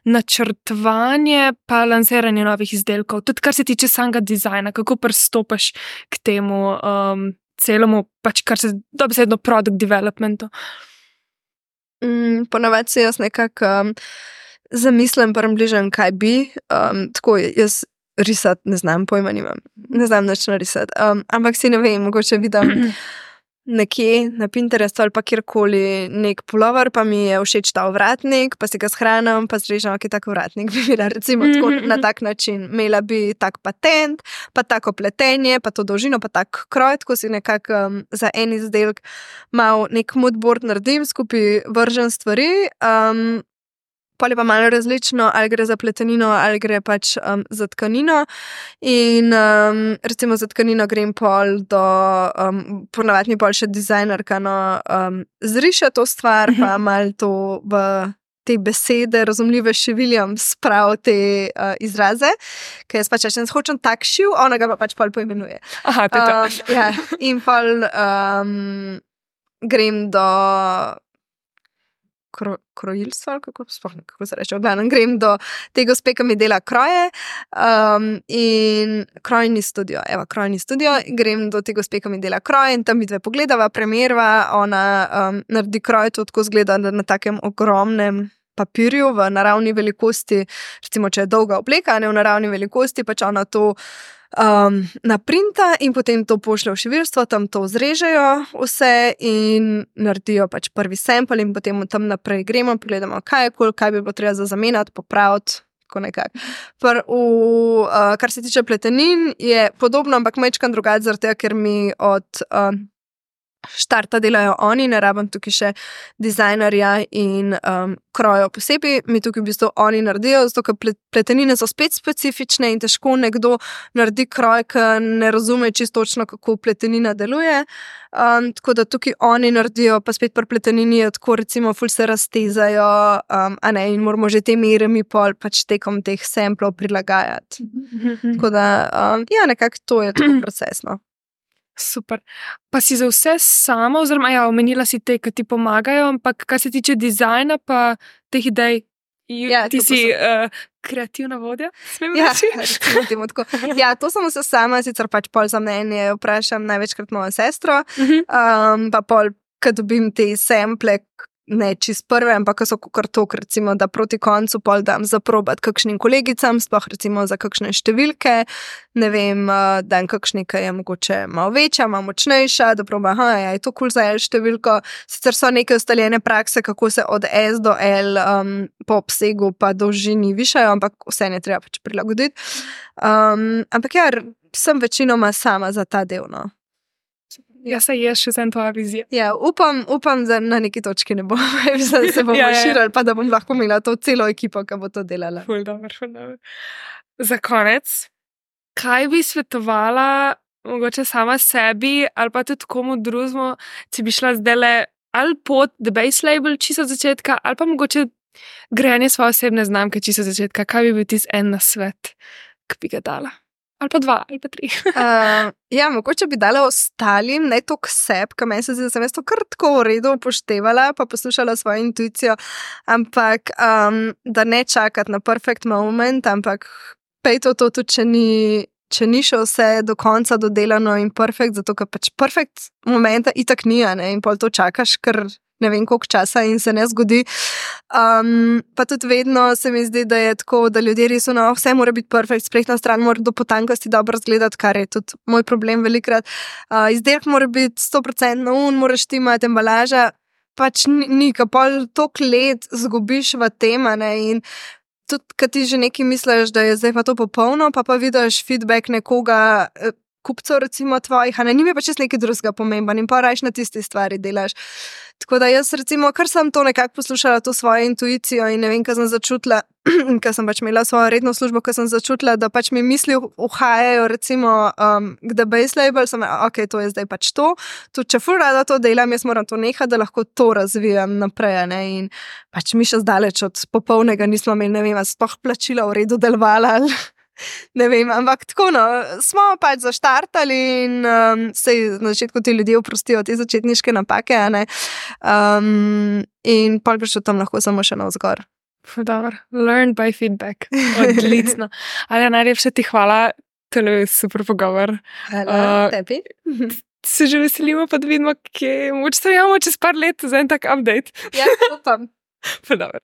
načrtovanje pa lansiranje novih izdelkov, tudi kar se tiče samega dizajna, kako pristopaš k temu um, celemu, pač kar se dobesedno product developmentu? Mm, ponavadi se jaz nekako um, zamislim približno, kaj bi, um, tako jaz risati ne znam, pojma nimam, ne znam nič narisati, um, ampak si ne vem, mogoče vidim nekje na Pinterestu ali pa kjerkoli nek pulover, pa mi je všeč ta ovratnik, pa si ga shranim, pa zrežem, ok, tak ovratnik bi bila recimo tako na tak način. Imela bi tak patent, pa tako pletenje, pa to dolžino, pa tak kroj, tako si nekako um, za en izdelek mal nek moodboard naredim, skupaj vržem stvari, um, pol je pa malo različno, ali gre za pletenino, ali gre pač um, za tkanino in um, recimo za tkanino grem pol do, um, ponavadi mi pol še dizajnerka, no, um, zriše to stvar, pa malo to v te besede, razumljive šiviljam, sprav te uh, izraze, ker jaz pač rečem, hočem tak šiv, ona ga pa pač pol poimenuje. Aha, to je to. Um, ja, in pol um, grem do Kro, krojilstva, kako, kako se reče, odgledam, grem do te gospe, ki mi dela kroje um, in krojni studio, evo, krojni studio, grem do te gospe, ki mi dela kroje in tam mi dve pogledava, premerva, ona um, naredi kroj, to tako zgleda na takem ogromnem papirju v naravni velikosti, recimo, če je dolga obleka, ne v naravni velikosti, pač ona to um, naprinta in potem to pošlje v šiviljstvo, tam to zrežejo vse in naredijo pač prvi sample in potem tam naprej gremo, pogledamo, kaj je kul, kaj bi bilo treba za zamenjati, popraviti, tako nekako. Pr, v, uh, kar se tiče pletenin, je podobno, ampak majčkan drugače, zaradi tega, ker mi od uh, štarta delajo oni, ne rabim tukaj še dizajnerja in um, krojo posebej, mi tukaj v bistvu oni naredijo, zato ker pletenine so spet specifične in težko nekdo naredi kroj, ki ne razume čisto točno, kako pletenina deluje. Um, tako da tukaj oni naredijo, pa spet pri pletenini je tako, recimo, ful se raztezajo, um, a ne, in moramo že te mere mi pol pač tekom teh samplov prilagajati. Tako da, um, ja, nekako to je tako procesno. Super. Pa si za vse sama, oziroma ja, omenila si te, ki ti pomagajo, ampak kar se tiče dizajna pa teh idej, ja, ti si uh, kreativna vodja? Smem ja, reči? Ja, to sem vse sama, sicer pač pol za mnenje vprašam največkrat mojo sestro, uh-huh. um, pa pol, ko dobim te sample, ne čist prve, ampak so kar tok, recimo, da proti koncu pol dam zaprobati kakšnim kolegicam, sploh recimo za kakšne številke, ne vem, dam kakšni, ki je mogoče malo večja, malo močnejša, da proba, aha, ja, je to kul za L številko. Sicer so neke ustaljene prakse, kako se od S do L um, po obsegu pa dolžini višajo, ampak vse ne treba pač prilagoditi. Um, ampak ja, sem večinoma sama za ta del, no. Ja, se je še za tvoja vizija. Ja, upam, upam, da na neki točki ne bomo, da se bomo ja, ja. širili, pa da bom lahko imela to celo ekipo, ki bo to delala. Ful dobro, ful dobro. Za konec, kaj bi svetovala mogoče sama sebi ali pa tudi komu drugemu, če bi šla zdajle ali pod The Base Label čisto od začetka, ali pa mogoče grejanje svoje osebne znamke čisto od začetka, kaj bi bil tisti en nasvet, ki bi ga dala? Ali pa dva, ali pa tri. uh, ja, mogoče bi dala ostalim, ne to k sebi, ker meni se zdi, da sem jaz to kar tako v redu upoštevala, pa poslušala svojo intuicijo, ampak um, da ne čakati na perfect moment, ampak pej to to tudi, če ni, če ni še vse do konca dodelano in perfect, zato ker pač perfect momenta itak ni, ne, in pol to čakaš, ker ne vem koliko časa in se ne zgodi. Um, pa tudi vedno se mi zdi, da je tako, da ljudje res no, vse mora biti perfekt, spletna stran mora do potankosti dobro izgledati, kar je tudi moj problem velikrat. Uh, izdelek mora biti sto procentno un, moraš ti imati embalaža, pač ni, ni ka pol toliko let zgubiš v tem, ne, in tudi, kad ti že nekaj misliš, da je zdaj pa to popolno, pa pa vidiš feedback nekoga, kupcev recimo tvojih, a ne, njim je pa čez nekaj drugega pomemben in pa rajš na tisti stvari delaš. Tako da jaz recimo, kar sem to nekako poslušala, to svojo intuicijo in ne vem, kaj sem začutila, ker sem pač imela svojo redno službo, ker sem začutila, da pač mi misli uhajajo recimo um, k The Base Label, sem rekla, ok, to je zdaj pač to, tudi če ful rada to delam, jaz moram to nehati, da lahko to razvijam naprej, ne, in pač mi še zdaleč od popolnega nismo imeli, ne vem, sploh plačila v redu delovala ali ne vem, ampak tako no, smo pač zaštartali in um, sej na začetku ti ljudje oprostijo te začetniške napake, a ne, um, in pol prišel tam lahko samo še navzgor. Dobro, learn by feedback, odlično. Ali najlepše ti hvala, tole je super pogovor. Hvala, uh, tebi. Se že veselimo, pa da vidimo, kje moč stojamo čez par let za en tak update. Ja, upam. Pa dobro.